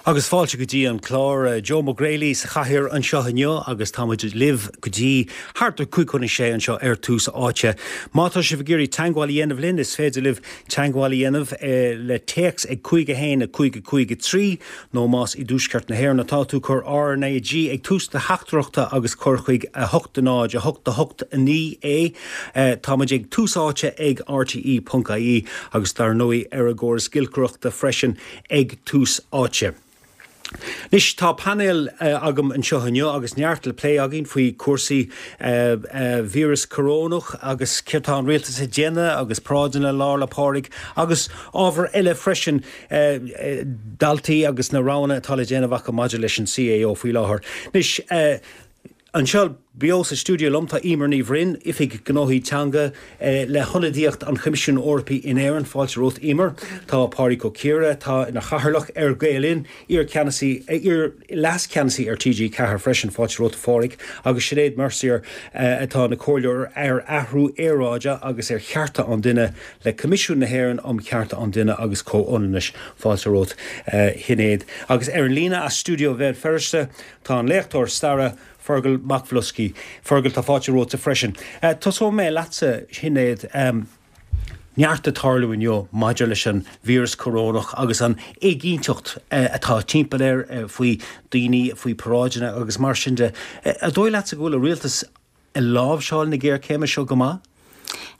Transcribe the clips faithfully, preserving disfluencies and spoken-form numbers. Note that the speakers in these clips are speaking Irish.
Agus fáilte go dtí an clár Joe McGrailey sa chathaoir anseo inniu agus táimid libh go dtí thart ar cúig chun a sé anseo ar Tús Áite. Má tá sibh ag iarraidh teagmháil a dhéanamh linn is féidir libh teagmháil a dhéanamh le téacs ag cúig a haon a cúig a cúig a trí nó más i dtuaisceart na hÉireann atá tú cuir RnaG ag tús do theachtaireachta agus cuir chuig a hocht a náid a hocht a hocht a naoi é. Táimid ag Tús Áite ag RTE.ie agus dar ndóigh ar an gcóras giolcaireachta freisin ag Tús Áite. Anois tá painéal uh, agam anseo inniu agus neart le plé againn faoi cúrsaí uh, uh, víreas corónach agus céard atá an rialtas ag déanamh agus paráideanna Lá 'le Pádraig agus ábhar eile freisin uh, uh, daltaí agus na roghanna atá le déanamh acu maidir leis an CAO faoi láthair. Anois uh, Anseo beo sa stiúideo liom tá Eimear Ní Bhroin, Oifigeach Gnóthaí Teanga eh, le hionadaíocht an Choimisiúin Eorpaigh in Éirinn fáilte romhat Eimear, Tá Pádraig Ó Ciardha atá ina chathaoirleach ar Gael Linn, iar-cheannasaí iar leascheannasaí ar TG Ceathair freisin fáilte romhat a Phádraig, agus Sinéad Mercier eh, atá ina comhairleoir ar athrú aeráide agus ar chearta an duine le Coimisiún na hÉireann um Chearta an Duine agus Comhionannais fáilte romhat eh, Shinéad. Agus ar an líne as stiúideo Bhéal Feirste tá an léachtóir staire Fergal Mac Bhloscaí. Fergal tá fáilte romhat freisin. Uh, Tosóidh mé leatsa Shinéad um, neart ag tarlú inniu maidir leis an víreas corónach agus an éiginnteacht uh, atá timpeall air uh, faoi daoine faoi paráideanna agus mar sin de. Uh, an dóigh leatsa go bhfuil an rialtas ag láimhseáil na géarchéime seo go maith?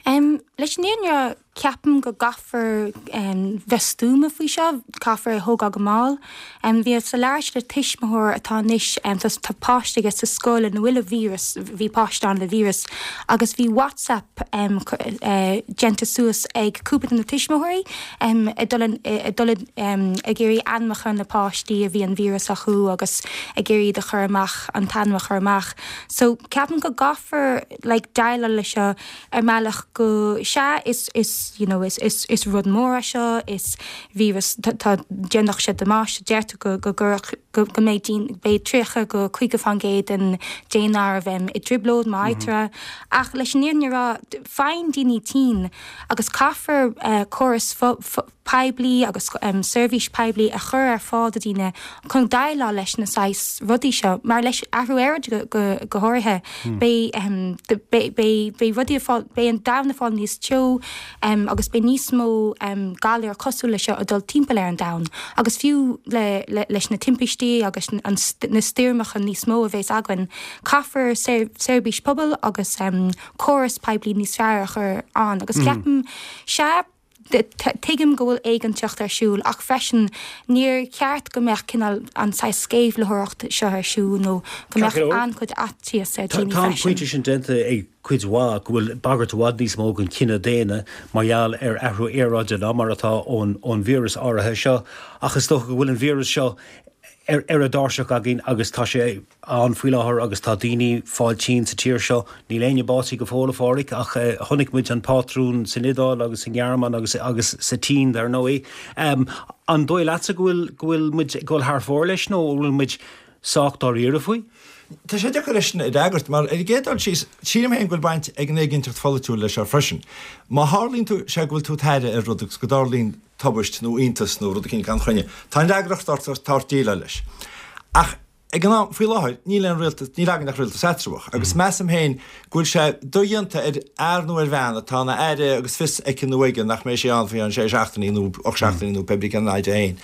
Um, leis an fhírinne ceapaim go gcaithfear um, bheith stuama faoi seo, caithfear thógáil go mall. Um, bhí sa leis le tuismitheoir atá anois um, tá páiste aige sa scoil ina bhfuil an víreas, bhí páiste ann le víreas, agus bhí WhatsApp um, uh, déanta suas ag cúpla de na tuismitheoirí um, dul um, ag iarraidh ainmneacha na páistí a bhí an víreas acu agus ag iarraidh a chur amach an t-ainm a chur amach. So ceapaim go gcaithfear like, déileáil le seo ar mbealach go sea is is you know is is is rud mór seo is víreas tá déanach sé damáiste deirtear go go go go go mbeidh beidh tríocha go caoga faoin gcéad den daonra bheith i dtrioblóid má fhaightear mm -hmm. ach leis an fhírinne a rá faigheann daoine tinn agus caithfear uh, córas poiblí agus um, seirbhís poiblí a chur ar fáil do daoine chun déileáil leis na saghas rudaí seo mar leis athrú aeráide go, go, go háirithe hmm. beidh um, beidh rudaí beidh an domhan ag fáil níos teo um, agus beidh níos mó um, galar cosúil le seo ag dul timpeall ar an domhan agus fiú le, le, leis na timpistí agus an, na stoirmeacha níos mó a bheas againn caithfear seirbhís pobail agus um, córas poiblí níos fearr a chur ann agus mm. ceapaim sé tuigim go bhfuil éiginnteacht ar siúl ach freisin níor cheart go mbeadh cineál an saghas sceimhlitheoireacht seo ar siúl nó go mbeadh an-chuid faitíos ar Tá pointe sin déanta ag cuid mhaith go bhfuil bagairt i bhfad níos mó don chine daonna mar gheall ar athrú aeráide ná mar atá ón ón víreas áirithe seo ach is dócha go bhfuil an víreas seo ar ar a dtairseach againn agus tá sé ann faoi láthair agus tá daoine ag fáil tinn sa tír seo níl éinne básaithe go fóill a Phádraig ach uh, chonaic muid an pátrún san Iodáil agus sa Ghearmáin agus agus sa tSín dar ndóigh. Um, an dóigh leatsa go bhfuil go bhfuil muid dul thar fóir leis nó bhfuil muid sách dáiríre faoi? Tá sé deacair leis a fhreagairt mar ar an gcéad dul síos sílim féin go bhfuil baint ag an éiginnteacht pholaitiúil leis seo freisin. Má tharlaíonn tú sé go bhfuil tú i d'aire ar rud agus go dtarlaíonn tubaist nó iontas nó rud éigin gan choinne. Tá an fhreagracht ort tá déileáil leis. Ach ag an am faoi láthair níl an rialtas níl againn ach rialtas eatramhach, agus mm. measaim féin go bhfuil sé dodhéanta ar fhear nó ar bhean atá ina aire agus fios aici nó aige nach mbeidh sé ann faoi sé seachtainí nó ocht seachtainí nó pé cén fhad féin.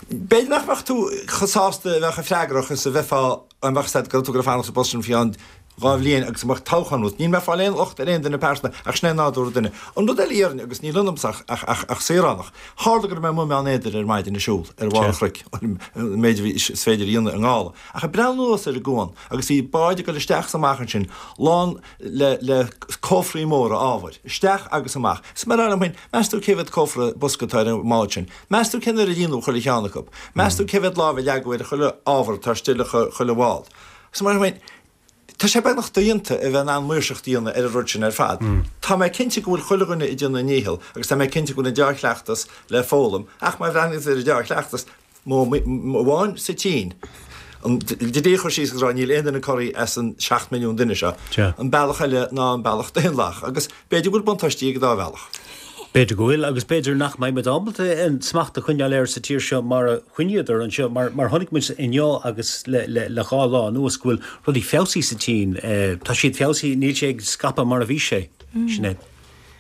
B'fhéidir nach mbeadh tú chomh sásta bheith chomh freagrach is a bheifeá an mbeadh said go tú go fanacht sa bpost sin faoi dhá bhliain agus mbeadh toghchán ann. Níl mé ag fáil aon locht ar aon duine pearsanta ach sin é nádúr an duine. An rud eile iarrainn agus níl ionamsa ach, ach, ach, ach saoránach. Tharla go raibh mé amuigh i mBeann Éadair ar maidin ag siúl ar bharr an chnoic an méid a bhí is féidir a dhéanamh i ngála. Ach ag breathnú anuas ar an gcuan agus bhí báid ag dul isteach is amach ansin lán le, le cófraí móra ábhair, isteach agus amach. Is mar liom féin, meas tú cé mhéad cófra bosca atá ar an mbád sin. Meas tú cén uair a líonadh chuile cheann acu. Meas tú cé mhéad lámh a leagadh ar chuile ábhar atá istigh le chuile bhád. Is mar liom féin, Tá sé beagnach dodhéanta a bheith in ann maoirseacht a dhéanamh ar an rud sin ar fad. Tá mé cinnte go bhfuil chuile dhuine ag déanamh a ndícheall agus tá mé cinnte go bhfuil an dea-chleachtas le foghlaim ach má bhreathnaíonn tú ar an dea-chleachtas, modh amháin sa tSín, an dlí a chur síos agus rá níl aon duine corraithe as an seacht milliún duine seo. An bealach eile ná an bealach daonlathach agus b'fhéidir go bhfuil buntáistí ag an dá bhealach. B'fhéidir go bhfuil, agus b'fhéidir nach mbeidh muid ábalta an smacht a choinneáil air sa tír seo mar a choinníodar anseo, mar mar chonaic muid inniu agus le le le dhá lá anuas go bhfuil rudaí feabhsaithe sa tSín. Tá siad feabhsaithe, níl sé ag scaipeadh mar a bhí sé. Sinéad.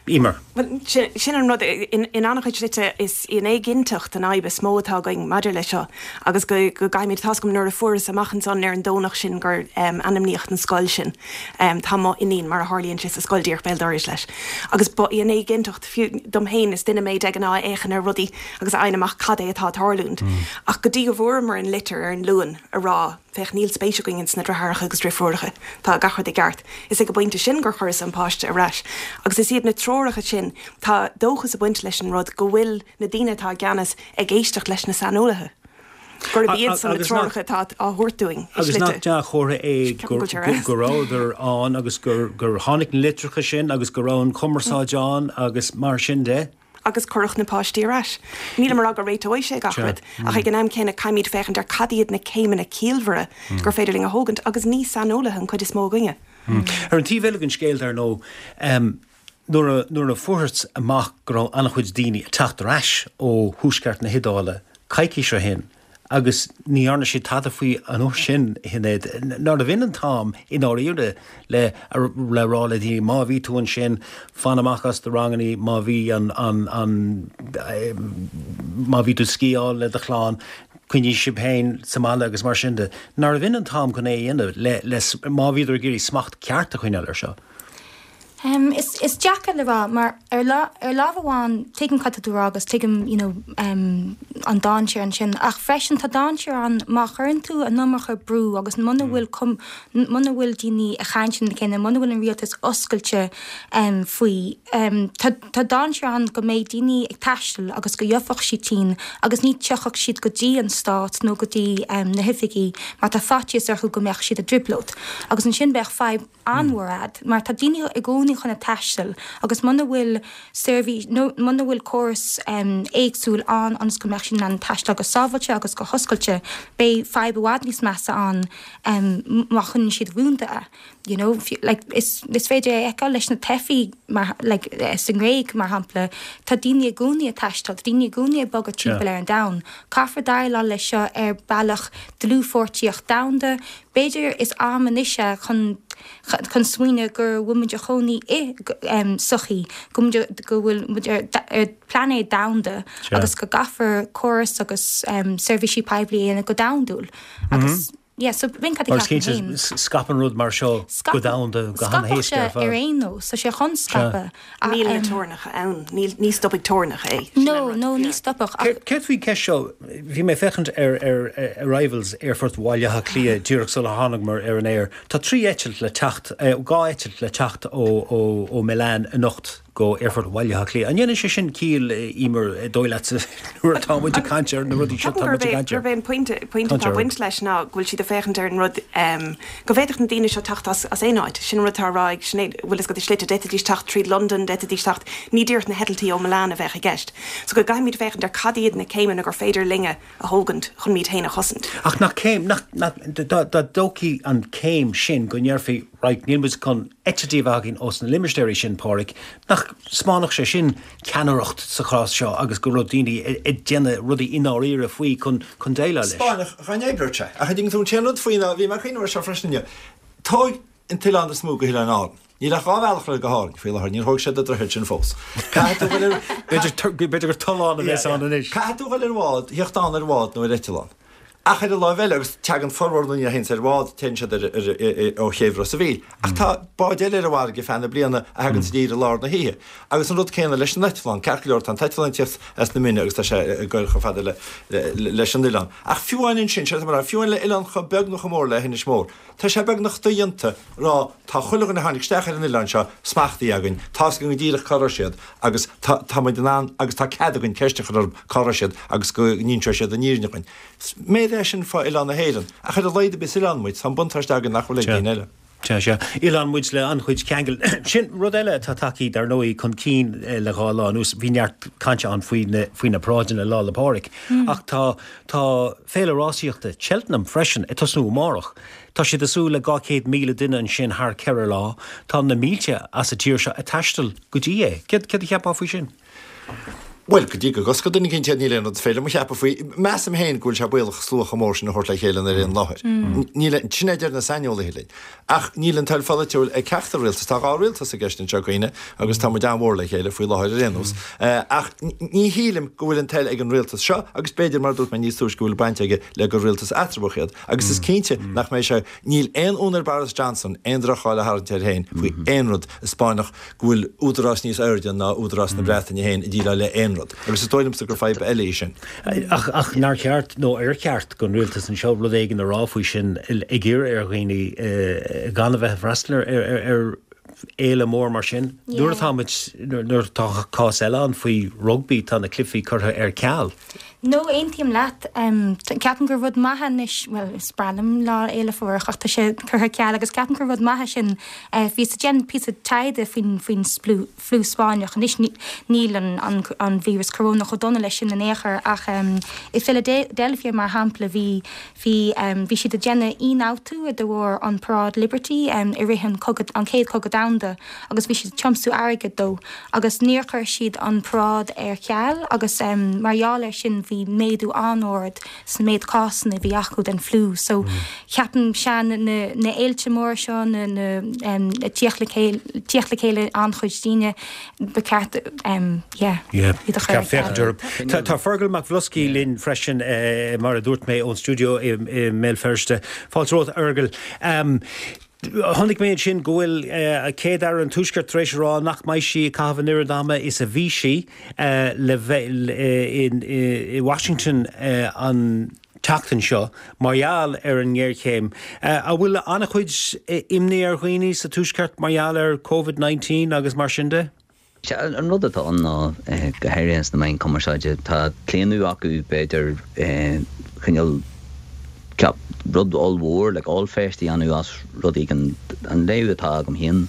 Emer. Bhuel, sin an rud, in an-chuid slite is í an éiginnteacht an fhadhb is mó atá againn maidir leis seo agus go go gcaithfimid, tá's agam nuair a fuaireas amach ansan ar an Domhnach sin gur ainmníodh an scoil sin, tá mo iníon mar a tharlaíonn sé sa scoil díreach béal dorais leis agus ba í an éiginnteacht, fiú dom féin, is duine mé de ghnáth a fhéachann ar rudaí agus a fhaigheann amach cad é atá ag tarlúint. Ach go dtí go bhfuaireamar an litir ar an Luan a rá, féach, níl spéis againn ins na deartháireacha agus deirfiúracha, tá gach rud i gceart, is ag an bpointe sin gur chuireas an páiste ar ais. Agus is iad na treoracha sin, tá dóchas ag baint leis an rud go bhfuil na daoine atá i gceannas ag éisteacht leis na saineolaithe. Gurb iad san na treoracha atá á thabhairt dúinn i slite. Agus nach dea-chomhartha é go rabhadar ann agus gur tháinig na litreacha sin agus go raibh an chumarsáid ann agus mar sin de? Agus cuireadh na páistí ar ais. Nílim ag rá go réiteoidh sé gach rud, ach ag an am céanna caithfimid féachaint ar cad iad na céimeanna ciallmhara gur féidir linn a thógaint agus ní saineolaithe an chuid is mó againne. Ar an taobh eile den scéal, dar ndóigh, nuair a nuair a fuarthas amach go raibh an-chuid daoine ag teacht ar ais ó thuaisceart na hIodáile coicís ó shin agus ní dhearna siad tada faoi an uair sin, a Shinéad, nárbh in an t-am i ndáiríre le le rá le daoine má bhí tú ansin, fan amach as do rangannaí, má bhí an an an má bhí tú ag sciáil le do chlann, coinnigh sibh féin sa mbaile agus mar sin de. Nárbh in an t-am chun é a dhéanamh le le má bhíodar ag iarraidh smacht ceart a choinneáil air seo? Um, is, is deacair le rá, mar ar, lá, ar lámh amháin tuigim cad tá tú a rá agus tuigim you know, um, an dainséar ansin, ach freisin tá dainséar ann má chuireann tú an iomarca brú agus muna bhfuil cum, muna bhfuil daoine ag caint lena chéile, muna bhfuil an rialtas oscailte um, faoi. Um, tá, tá dainséar ann go mbeidh daoine ag taisteal agus go gheobhaidh siad tinn agus ní tiocfaidh siad go dtí an stát nó go dtí um, na hoifigí mar tá faitíos orthu go mbeadh siad i dtrioblóid. Agus ansin beidh fadhb an-mhór a'd, mar tá daoine i gcónaí chun a taisteal agus muna bhfuil seirbhís nó muna bhfuil córas um, éagsúil ann ionas go mbeadh siad in ann taisteal go sábháilte agus go hoscailte, beidh fadhb i bhfad níos measa ann um, má choinníonn siad rúnda é. You know, like, is, is féidir é a fheiceáil leis na teifigh mar, like, eh, sa nGréig mar shampla, tá daoine i gcónaí ag taisteal, tá daoine i gcónaí ag bogadh timpeall ar an domhan. Caithfear déileáil leis seo ar bealach dlúthpháirtíoch domhanda. B'fhéidir is am anois é chun chun smaoineamh go bhfuil muid i gcónaí i um, sochaí, go muid go bhfuil muid ar, ar pláinéad domhanda agus go gcaithfear córas agus um, seirbhísí poiblí a dhéanamh go domhandúil. Agus yeah, so b'in cad a Mar is ceapaim cinnte féin. s- scaipeann rud mar seo go Scaipeann- domhanda go Scaipfeadh han-éasca sé ar fad. ar aon nós, tá sé chun scaipeadh. Ach, Níl na um, teorainneacha ann, níl ní stopfaidh teorainneacha é. Sin an No, rud, no, ní yeah. stopfadh. Ach Céard céard faoin cheist seo, bhí mé ag féachaint ar ar ar Arrivals Aerfort Bhaile Átha Cliath díreach sula thángamar ar an aer. Tá trí eitilt le teacht, eh, dhá eitilt le teacht ó ó ó Milan anocht go Aerfort Bhaile Átha Cliath. An ndéanann sé sin ciall Emer dóigh leat nuair atá muid ag caint ar na rudaí seo Ceapaim tá muid gurb ag é caint ar. gurb é an pointe pointe Caint atá ar. baint leis ná go bhfuil siad ag féachaint ar an rud um, go bhféadfadh na daoine seo teacht as, as aon áit. Sin an rud atá á rá ag Sinéad, bhfuil fhios agat i slite d'fhéadfaidís teacht tríd London, d'fhéadfaidís teacht ní díreach na heitiltí ó Milan a bheadh i gceist. So go gcaithfimid féachaint ar cad iad na céimeanna gur féidir linne a thógaint chun muid féin a chosaint. Ach nach céim nach nach dá dá dtógfaí an céim sin go ndéarfaí right níl muid chun eitiltí a bheith againn ós na limistéirí sin Pádraig, nach spáinfeadh sé sin ceannaireacht sa chás seo agus go raibh daoine ag déanamh rudaí i ndáiríre faoi chun chun déileáil leis. Spáinneach chain oibreoidh sé. Ach ding tú an rud faoi ná bhí mé ag cuimhneamh air seo freisin inniu. Tóg an t-oileán is mó go hOileáin Árann. Níl ach dhá bhealach le go hÁrainn faoi láthair, níor thóg siad an droichead sin fós. Caithfidh tú dul ar B'fhéidir b'fhéidir gur tollán a bheas ann anois. Caithfidh tú dul ar bhád, theacht ann ar bhád nó ar eitleán. Ach ar an láimh eile agus teagann formhór na ndaoine a théanns ar bhád, téann siad ar, ar, ar, ó chéibh Ros an Mhíl. Ach tá báid eile ar an bhfarraige feadh na bliana a thagann i dtír i lár na hoíche. Agus an rud céanna leis an eitleán, ceart go leor tá an t-eitleán ag teacht as na Mine agus tá sé ag goil chomh fada le, le, leis an oileán. Ach fiú amháin ansin, sé mar fiú amháin le oileán chomh beag nó chomh mór le hInis Mór. Tá sé beagnach dodhéanta rá tá chuile dhuine a tháinig isteach ar an oileán seo smachtaithe againn, Tá go díreach cá raibh siad agus tá tá muid in ann agus tá cead againn ceist a chur orthu cá raibh siad agus go n-inseoidh siad an fhírinne dúinn. Méid é sin fá oileán na hÉireann, ach ar a laghad is oileán muid, tá an buntáiste againn nach bhfuil ag daoine eile. Sea, sea. Oileán muid le an-chuid ceangal. Sin rud eile atá tagtha dar ndóigh chun cinn le dhá lá anuas. Bhí neart cainte ann faoi na, faoi na paráideanna Lá 'le Pádraig. Ach tá, tá féile rásaíochta Cheltenham freisin ag tosnú amárach. Tá siad ag súil le dhá chéad míle duine ansin thar ceithre lá. Tá na mílte as an tír seo ag taisteal go dtí é. Céard, céard a cheapfá faoi sin? Bhuel, go dtí go gcoscóidh duine eicínt iad, níl aon rud is féidir liom a cheapadh faoi. Measaim féin go bhfuil sé baolach slua chomh mór sin a thabhairt le chéile ar aon láthair. Níl, sin é a deir na saineolaithe linn. Ach níl an toil pholaitiúil ag ceachtar rialtas. Tá dhá rialtas i gceist anseo, cuimhnigh, agus tá muid an-mhór le chéile faoi láthair ar aon nós. Ach ní shílim go bhfuil an toil ag an rialtas seo, agus b'fhéidir, mar a dúirt mé níos túisce, go bhfuil baint aige le gur rialtas eatramhach iad. Agus is cinnte nach mbeidh sé, níl aon fhonn ar Boris Johnson aon droch-cháil a tharraingt air féin faoi aon rud a 'spáinfeadh go bhfuil údarás níos airde ná údarás na Breataine féin ag déileáil le aon rud. Agus is dóigh liomsa gur fadhb eile í sin. Ach, ach nár cheart, nó ar cheart don rialtas anseo rud éigin a rá faoi sin, ag iarraidh ar dhaoine gan a bheith ag freastal ar, ar, ar fhéile mór mar sin? Nuair atá muid, nuair atá cás eile ann faoi rugbaí, tá na cluichí curtha ar ceal. No, aontaím leat. Ceapaim gur rud maith anois, bhuel, is breá liom Lá Fhéile Phádraig ach tá sé curtha ar ceal agus ceapaim gur rud maith é sin. Bhíos ag déanamh píosa taighde faoin faoin fliú Spáinneach. Anois níl an an an víreas corónach chomh dona leis sin in aon chor ach i Philadelphia mar shampla bhí bhí bhí siad ag déanamh ionfhabhtú de bharr an Paráid Liberty i rith an cogadh an chéad chogadh domhanda agus bhí siad ag tiomsú airgead dó agus níor chuir siad an paráid ar ceal agus mar gheall air sin bhí méadú an-ard sna méid cásanna a bhí acu den fliú. So ceapaim sea na na fhéilte móra seo na na ag tíocht le chéile tíocht le chéile an-chuid daoine ba cheart yeah Yeah. iad a chur ar Ceart féachaint ceal. orthu. Tá tá Fergal Mac Bhloscaí linn freisin mar a dúirt mé ón stiúideo i i mBéal Feirste. Fáilte romhat a Fheargail. Um, Chonaic mé ansin go bhfuil Céad-Aire an Tuaiscirt tar éis a rá nach mbeidh sí ag caitheamh an oiread ama is a bhí sí le bheith i Washington an tseachtain seo mar gheall ar an ngéarchéim. An bhfuil an-chuid imní ar dhaoine sa Tuaisceart mar gheall ar Covid nineteen agus mar sin de? Sea, an rud atá ann ná, go háirithe sna meáin cumarsáide, tá claonadh acu b'fhéidir cineál ceap rud ollmhór, like ollpheist a dhéanamh as rud éigin. An léamh atá agam féin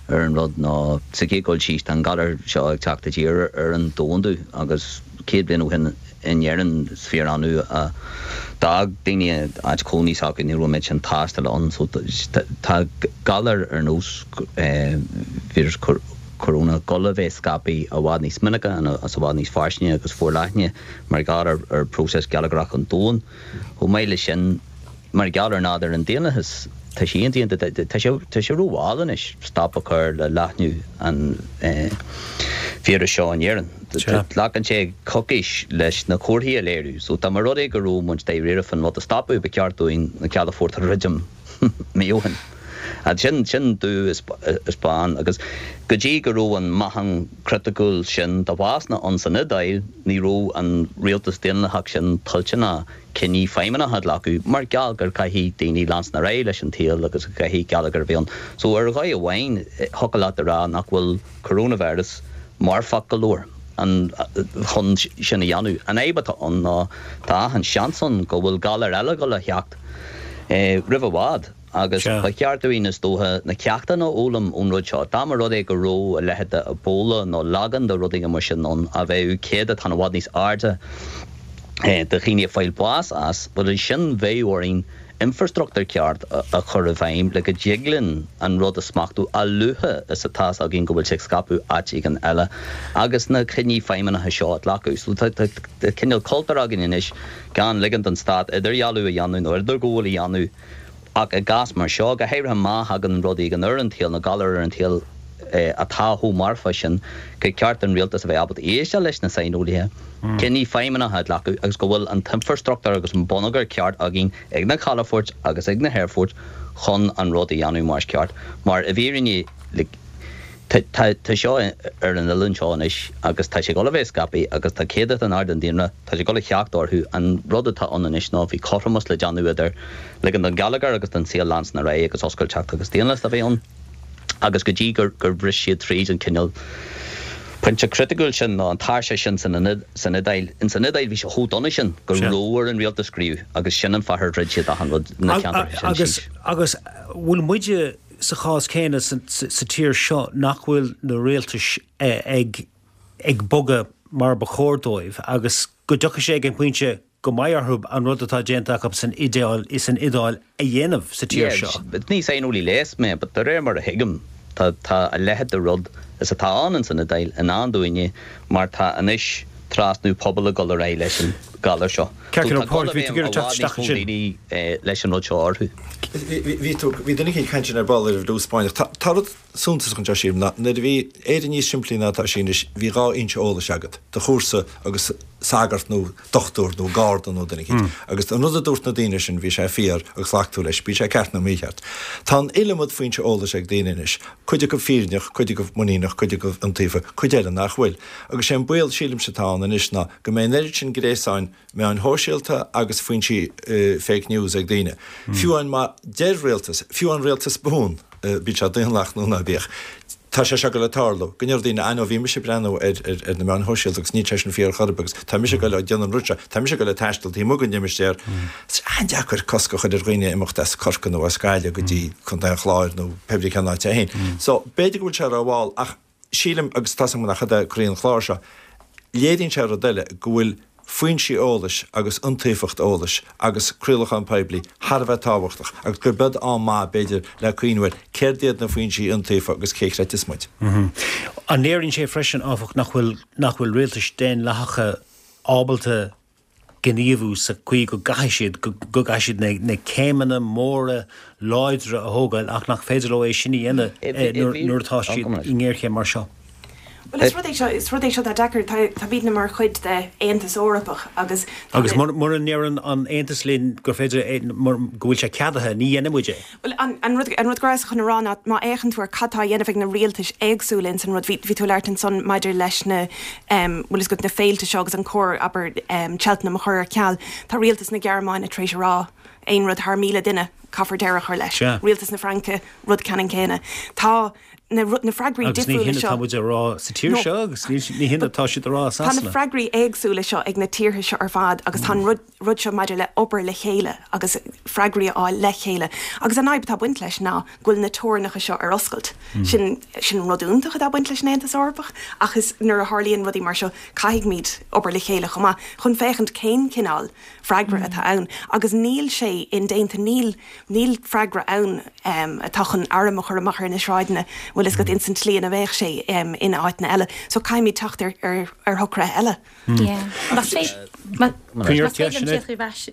ar an rud ná, sa chéad dul síos, tá an galar seo ag teacht i dtír ar an domhandú agus céad bliain ó shin in Éirinn is fíor-annamh a d'fhág daoine áit cónaí s'acu, ní raibh an méid sin taistil ann. So tá galar ar nós víreas coróna ag dul a bheith scaipthe i bhfad níos minice agus i bhfad níos fairsinge agus forleithne mar gheall ar ar próiseas geilleagrach an domhain. Chomh maith leis sin, mar gheall ar nádúr an daonlathais, tá sé indéanta, tá sé tá sé rómhall anois stop a chur le leathnú an víris seo in Éirinn. Glacann sé coicís leis na comharthaí a léiriú. So dá mba rud é go raibh muid dáiríre faoin rud a stopadh, ba cheart dúinn na calafoirt a dhruidim mí ó shin. Sin sin dubh is bán agus go dtí go raibh an meáchan criticiúil sin de bhásanna ann san Iodáil, ní raibh an rialtas daonlathach sin toilteanach cinní feidhmeannacha a ghlacadh mar gheall gur caithfidh daoine leanstan ar aghaidh leis an tsaol agus go gcaithfidh geilleagar a bheith ann. So ar dhóigh amháin, thiocfadh leat a rá nach bhfuil coronavirus marfach go leor chun sin a dhéanamh. An fhadhb atá ann ná tá achan seans ann go bhfuil galar eile ag dul a theacht roimh i bhfad. Agus ba cheart dúinn, is dócha, na ceachtanna a fhoghlaim ón rud seo. Dá mba rud é go raibh a leithéid de Ebola nó leagan de rud éigin mar sin ann, a bheadh céatadán i bhfad níos airde de dhaoine ag fáil bás as, bhuel ansin bheadh orainn infreastruchtúr ceart a chur i bhfeidhm le go dtig linn an rud a smachtú a luaithe is atá's againn go bhfuil sé ag scaipeadh áit éigin eile agus na cinní feidhmeannacha seo a ghlacadh. So tá cineál cultúr againn anois gan ligean don stát idirdhealú a dhéanamh nó idirghabháil a dhéanamh Ach i gcás mar seo, go háirithe má thagann rud éigin ar an tsaol, nó galar ar an tsaol atá chomh marfach sin, gur ceart don rialtas a bheith ábalta éisteacht leis na saineolaithe, cinní feidhmeannacha a ghlacadh agus go bhfuil an t-infreastruchtúr agus an bonneagar ceart againn ag na calafoirt agus ag na haerfoirt chun an rud a dhéanamh mar is ceart. Mar i bhfírinne, like, Tá seo ar an oileán seo anois agus tá sé ag dul a bheith scaipthe agus tá céatadán ard den daonra, tá sé ag dul a theacht orthu. An rud atá ann anois ná bhí cothromas le déanamh idir ligean don gheilleagar agus don saol leanstan ar aghaidh agus oscailteacht agus daonlathas a bheith ann agus go dtí gur bhris siad tríd an cineál pointe criticiúil sin nó an tairseach sin san Iodáil. Ins an Iodáil bhí sé chomh dona sin go raibh ar an rialtas gníomhú agus sin an fáth ar dhruid siad achan rud na ceantair sin síos. Agus bhfuil muide sa chás céanna sa, sa, sa tír seo nach bhfuil na rialtais eh, ag ag bogadh mar ba chóir dóibh agus go dtiocfaidh sé ag an bpointe go mbeidh orthu an rud atá déanta acu san Iodáil is san Iodáil a dhéanamh sa tír seo. Ní saineolaí leighis mé, but de réir mar a thuigim tá tá a leithéid de rud is atá ann san Iodáil i ndán dúinne mar tá anois trasnú pobail ag dul ar aghaidh leis an galar seo. Daoine leis an rud seo orthu. Bhí tú bhí duine ag caint ar ball ar bhrú Spáinneach. Tá rud suntasach anseo sílim ná nuair a bhí Éire níos simplí ná atá sí anois bhí dhá fhoinse eolais agat, do chúrsa agus sagart nó dochtúir nó garda nó duine éicint. Agus an rud a dúirt na daoine sin bhí sé fíor agus ghlac tú leis, bíodh sé ceart nó mícheart. Tá an iliomad foinse eolais ag daoine anois, cuid acu fírinneach, cuid acu muiníneach, cuid acu iontaofa, cuid eile nach bhfuil. Agus sé an baol sílimse atá ann anois ná go mbeidh an oiread sin gréasáin meáin shóisialta agus foinsí fake news ag daoine. Fiú amháin má deir rialtas, fiú an rialtas buan, bíodh sé daonlathach nó ná bíodh, tá sé seo ag dul ag tarlú, go ndéarfaidh daoine, ah no, bhí mise ag breathnú ar ar na meáin shóisialta agus níl sé sin fíor chor ar bith agus tá mise ag dul ag déanamh an rud seo, tá mise ag dul ag taisteal taobh amuigh den limistéar. Is an-deacair cosc a chur ar dhaoine imeacht as Corcaigh nó as Gaillimh go dtí Contae an Chláir nó pé brí cén áit é féin. So, b'fhéidir go bhfuil sé rómhall ach sílim, agus tá a fhios agam nach é croí an chláir seo, Léiríonn sé rud eile, go bhfuil foinsí eolais agus iontaofacht eolais agus craolachán poiblí thar a bheith tábhachtach agus gurb é am maith, b'fhéidir, le cuimhniú ar céard iad na foinsí iontaofa agus cé chreidfeas muid. An léiríonn sé freisin, áfach, nach bhfuil nach bhfuil rialtais daonlathacha ábalta gníomhú sa chaoi go gcaithfidh siad, go gcaithfidh siad na céimeanna móra láidre a thógáil ach nach féidir leo é sin a dhéanamh nuair atá siad i ngéarchéim mar seo. Bhuel, is rud é seo, is rud é seo atá deacair. Táimidne mar chuid de Aontas Eorpach agus. Agus mura ndeireann an Aontas linn gur féidir é, go bhfuil sé ceadaithe, ní dhéanfaidh muid é. Bhuel, an rud, an rud go rabhas chun a rá ná má fhéachann tú ar cad tá á dhéanamh ag na rialtais éagsúla ins an rud, bhí, bhí tú ag labhairt ansan maidir leis na, bhfuil fhios agat, na féilte seo agus an cóir, abair, Cheltenham a chur ar ceal. Tá rialtas na Gearmáine tar éis a rá aon rud thar míle duine, caithfear deireadh a chur leis. Rialtas na Fraince, rud ceannann céanna. Tá na, na freagraí Agus ní difriúla hin seo. atá muid a rá sa tír No. seo agus ní, ní hin atá siad a rá i Tá na Sasana. freagraí éagsúla seo ag na tíortha seo ar fad agus tá an rud, rud seo maidir le obair le chéile agus freagraí a fháil le chéile. Agus an fhadhb atá ag baint leis ná go bhfuil na teorainneacha seo ar oscailt. Sin, sin rud iontach atá ag baint leis an Aontas Eorpach ach is nuair a tharlaíonn rudaí mar seo caithfimid obair le chéile chomh maith chun féachaint cén cineál freagra atá ann. Agus níl sé indéanta, níl, níl freagra ann um, atá chun arm a chur amach ar na sráideanna, bhfuil fhios agat ins an tslí ina bheadh sé um, in áiteanna eile. So caithfimid teacht ar, ar, ar shocruithe eile. Yeah. Más féidir Coinnir más féidir ceist, teacht ar ais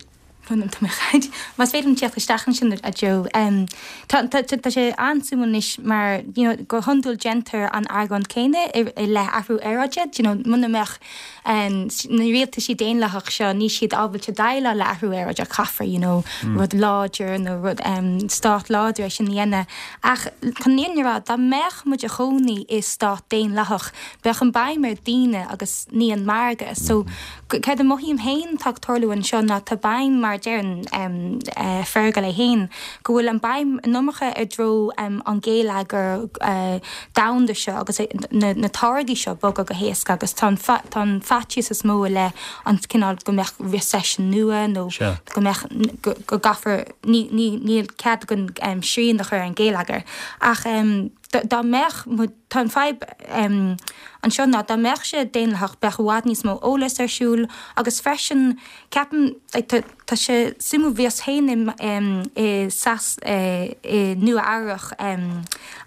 Más féidir teacht isteach ansin a Joe. Um, tá tá- tá tá sé an-suimiúil anois mar you know, go hiondúil déantar an argóint céanna i, i leith athrú aeráide, you know, muna mbeadh um, na rialtaisí daonlathach seo níl siad ábalta déileáil le athrú aeráide caithfear you know, mm. rud láidir nó rud um, stát láidir é sin a dhéanamh. Ach chun an fhírinne a rá dá mbeadh muid inár gcónaí i stát daonlathach, bheadh an béim ar daoine agus ní an margadh. So céard a mothaím féin tá ag tarlú anseo ná tá béim mar deireann um, uh, Fergal é féin, go bhfuil an béim an iomarca i dtreo um, an geilleagar uh, domhanda seo agus na, na táirgí seo bogadh go héasca agus tá an fa- tá an faitíos is mó le an cineál go mbeadh recession nua nó Sure. go mbeadh go, go gcaithfear ní, ní, níl cead go um, srian a chur ar an geilleagar. Ach um, dá dá mbeadh mu- tá an fadhb um, anseo ná dá mbeadh sé daonlathach bheadh i bhfad níos mó eolas ar siúl agus freisin ceapaim like, tá tá sé suimiúil bhíos féin i, um, i sas uh, i Nua Eabhrac um,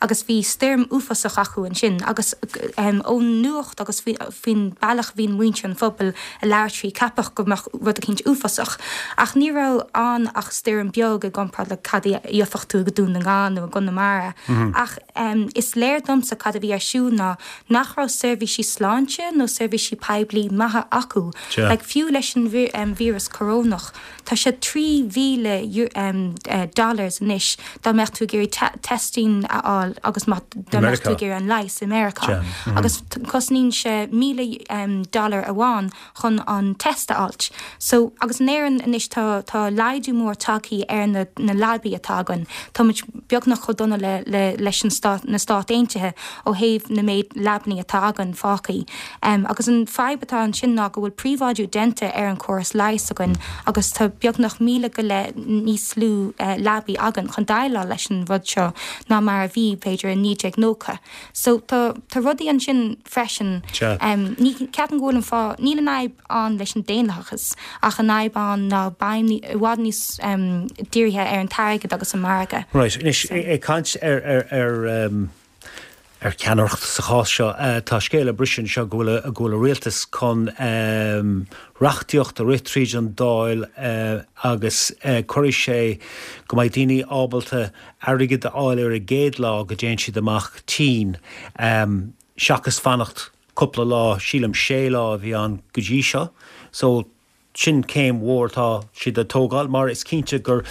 agus bhí stoirm uafásach acu ansin agus um, ón nuacht agus faoi- faoin bealach bhíonn muintir an phobail ag labhairt faoi ceapadh go mbeadh rud eicínt uafásach. Ach ní raibh ann ach stoirm beag i gcomparáid le cad a gheofadh tú go Dún na nGall nó i gConamara. Ach um, is léir domsa cad a bhí ar siúl ná nach raibh seirbhísí sláinte nó seirbhísí poiblí maithe acu. Sea. Like, fiú leis an vi um, víreas corónach, tá sé trí mhíle um, uh, dollars anois dá mbeadh tú ag iarraidh te testing a fháil agus má dá mbeadh tú Meiriceá. ag iarraidh an leigheas i Meiriceá. Sea, mhm. Agus t- cosnaíonn sé míle um, dollar amháin chun an test a fháilt. So agus in Éirinn anois tá tá laghdú mór tagtha ar na, na leabaí atá againn. Tá muid beagnach chomh dona le, le, leis an stát na Stát Aontaithe ó thaobh na méid leabanna atá againn fágtha. Um, agus an fadhb atá ansin ná go bhfuil príobháidiú déanta ar an córas leighis againn agus tá beagnach míle go leith níos lú uh, leabaí againn chun déileáil leis an rud seo ná mar a bhí b'fhéidir in naoi déag nócha. So tá tá rudaí ansin freisin. Um, ní ceapaim go bhfuil an fá níl an fhadhb ann leis an daonlathas ach an fhadhb ann ná béim i bhfad níos um, dírithe ar an t-airgead agus an margadh. Right, anois ag caint ar ar ar um, ar ceannaireacht sa chás seo uh, tá scéal ag briseadh anseo go bhfuil go bhfuil an rialtas chun um, reachtaíocht a rith tríd an Dáil uh, agus uh, cuirfidh sé go mbeidh daoine ábalta airgead a fháil ar a gcéad lá go dtéann siad amach tinn um, seachas fanacht cúpla lá sílim sé lá a bhí ann go dtí seo. So sin céim mhór tá siad a tógáil mar is cinnte gur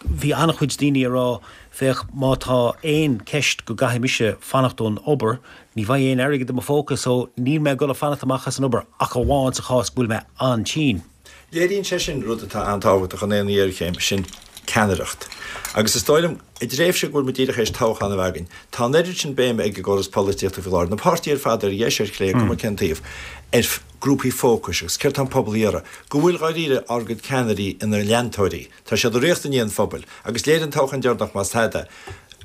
bhí an-chuid daoine ag rá féach má tá aon cheist go gcaithfidh mise fanacht ón obair, ní bheidh aon airgead i mo phóca so níl mé ag dul a fanacht amach as an obair ach amháin sa chás go bhfuil mé an-tinn. Léiríonn sé sin rud atá an-tábhachtach in aon ghéarchéim sin ceannaireacht. Agus is dóigh liom i dtréimhse go bhfuil muid díreach théis toghchán a bheith againn. Tá an oiread sin béime ag an gcóras polaitíochta faoi láthair, na páirtithe ar fad ar dheis ar chlé cuma cén taobh, ar grúpaí fócais agus céard tá an pobal a iarraidh, go bhfuil dáiríre ár gcuid ceannairí ina leantóirí. Tá siad ag rith i ndiaidh an phobail, agus léirigh an toghchán deireanach más tada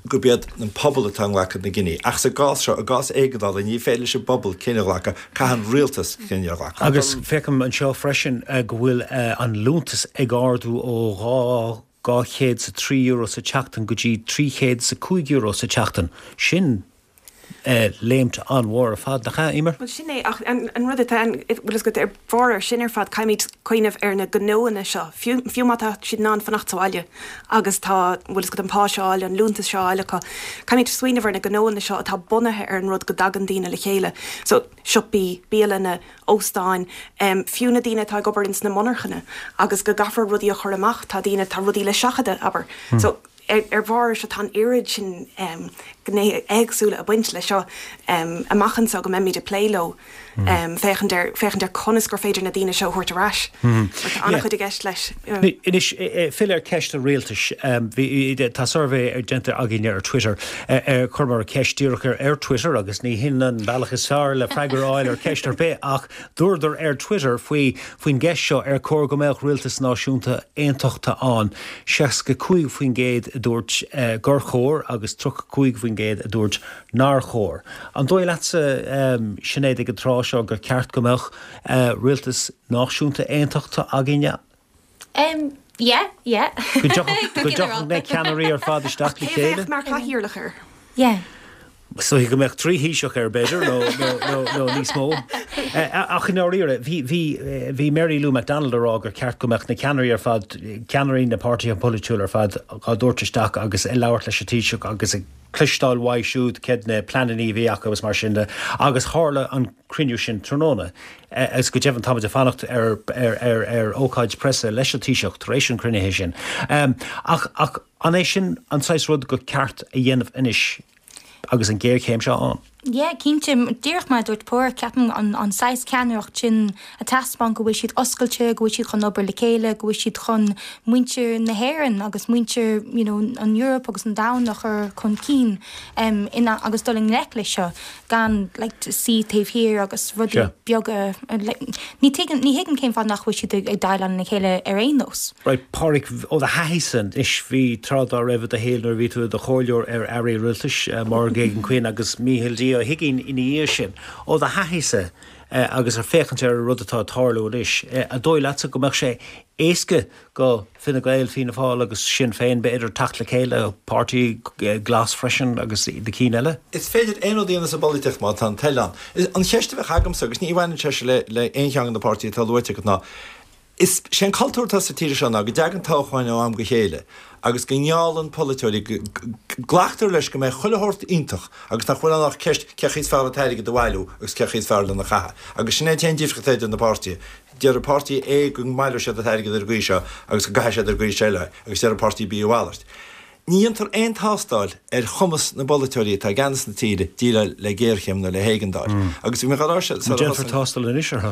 gurb iad an pobal atá ag glacadh na gcinntí. Ach sa gcás seo, i gcás éigeandála, ní féidir leis an bpobal cinneadh a ghlacadh, caithfidh an rialtas cinneadh a ghlacadh. Agus feicim anseo freisin go bhfuil an liúntas ag ardú ó dhá dhá chéad is a trí euro sa tseachtain go dtí trí chéad is a cúig euro sa tseachtain. Sin léimt an-mhór ar fad nach ea, Eimear? Bhuel sin é ach an rud atá an bhfuil a fhios agat ar bharr ar sin ar fad caithfimid cuimhneamh ar na gnóanna seo fiú fiú má tá siad in ann fanacht sa bhaile agus tá bhfuil a fhios agat an pá seo á fháil an liúntas seo á fháil acu caithfimid smaoineamh ar na gnóanna seo atá bunaithe ar an rud go dtagann daoine le chéile so siopaí bialanna óstáin um, fiú na daoine atá ag obair ins na monarchana agus go gcaithfear rudaí a chur amach tá daoine tá rudaí le seachadadh abair hmm. so ar, ar bharr seo tá an oiread sin um, gnéithe éagsúla ag baint le seo um, amach anseo go mbeimid ag plé leo mm. um, féachaint ar féachaint ar conas gur féidir na daoine seo a thabhairt ar ais. Mm. Tá an-chuid i gceist leis. Anois filleadh ar cheist an rialtais tá suirbhé ar déanta againne ar Twitter ar chuireamar ceist díreach ar ar Twitter agus ní hin an bealach is fearr le freagra a fháil ar cheist ar bith ach dúradar ar Twitter faoi faoin gceist seo ar chóir go mbeadh rialtas náisiúnta aontachta ann seasca cúig faoin gcéad a dúirt gur chóir agus tríocha cúig faoin gcéad a dúirt nár chóir. An dóigh leatsa Sinéad ag an tráth seo gur ceart go mbeadh rialtas náisiúnta aontachta againne? Um, yeah, yeah. Go dtiocfadh na ceannairí ar fad isteach le chéile? Mar chathaoirleach air. Yeah. So go mbeadh trí Thaoiseach air b'fhéidir nó níos mó. Ach i ndáiríre bhí bhí Mary Lou McDonald ag rá gur ceart go mbeadh na ceannairí ar fad ceannairí na páirtithe polaitiúla ar fad á dtabhairt isteach agus ag labhairt leis an Taoiseach agus ag cloisteáil uaidh siúd céard na pleananna a bhí acu agus mar sin de agus tharla an cruinniú sin tráthnóna. Agus go deimhin táimid ag fanacht ar ar ar ar ócáid preasa leis an Taoiseach tar éis an chruinnithe sin. Ach ach an é sin an saghas rud gur ceart a dhéanamh anois agus an géarchéim seo ann? Yeah, cinnte díreach mar dúirt Páraic ceapaim an, an saghas ceannaireacht sin a taispeáin go bhfuil siad oscailte, go bhfuil siad chun obair le chéile, go bhfuil siad chun muintir na hÉireann agus muintir you know, an Eoraip agus an domhan a chur chun cinn um, ina, agus dul i ngleic leis seo gan like, suí taobh thiar agus rudaí Sure. beaga like, ní tuigim ní thuigim cén fáth nach bhfuil siad ag, ag déileáil le chéile ar aon nós. Right, Páraic ó do thaithísa anois bhí tráth dá raibh i do shaol nuair a bhí tú i do chomhairleoir ar airí rialtais uh, Máire Geoghegan Quinn agus Mícheál D. Ó hUiginn ina dhiaidh sin. Ó do thaithísa uh, agus ar féachaint ar an rud atá ag tarlú anois, uh, an dóigh leatsa go mbeadh sé éasca go Fine Gael, Fianna Fáil agus Sinn Féin b'fhéidir teacht le chéile páirtí glas freisin agus na cinn eile? Is féidir aon rud a dhéanamh sa bpolaitíocht má tá an toil ann. An cheist a bheadh agamsa agus ní bhaineann sé le le aon cheann de na páirtithe atá luaite agat ná Is sé an cultúr atá sa tír seo ná go dtagann toghcháin ó am go chéile agus go ngeallann polaiteoirí glactar leis go mbeidh chuile shórt iontach agus nach bhfuil ann ach ceist cé chaoi is fearr an t-airgead a bhailiú agus cé chaoi is fearr lena chaitheamh. Agus sin é an t-aon difríocht idir na páirtithe. Deir páirtí A go mbaileoidh siad an t-airgead ar an gcaoi seo agus go gcaithfidh siad ar an gcaoi seo eile agus deir páirtí B a mhalairt. Ní dhéantar aon tástáil ar chumas na bpolaiteoirí atá i gceannas na tíre déileáil le géarchéim nó le héigeandáil. Agus bhí mé ag rá seo Déanfar tástáil anois orthu.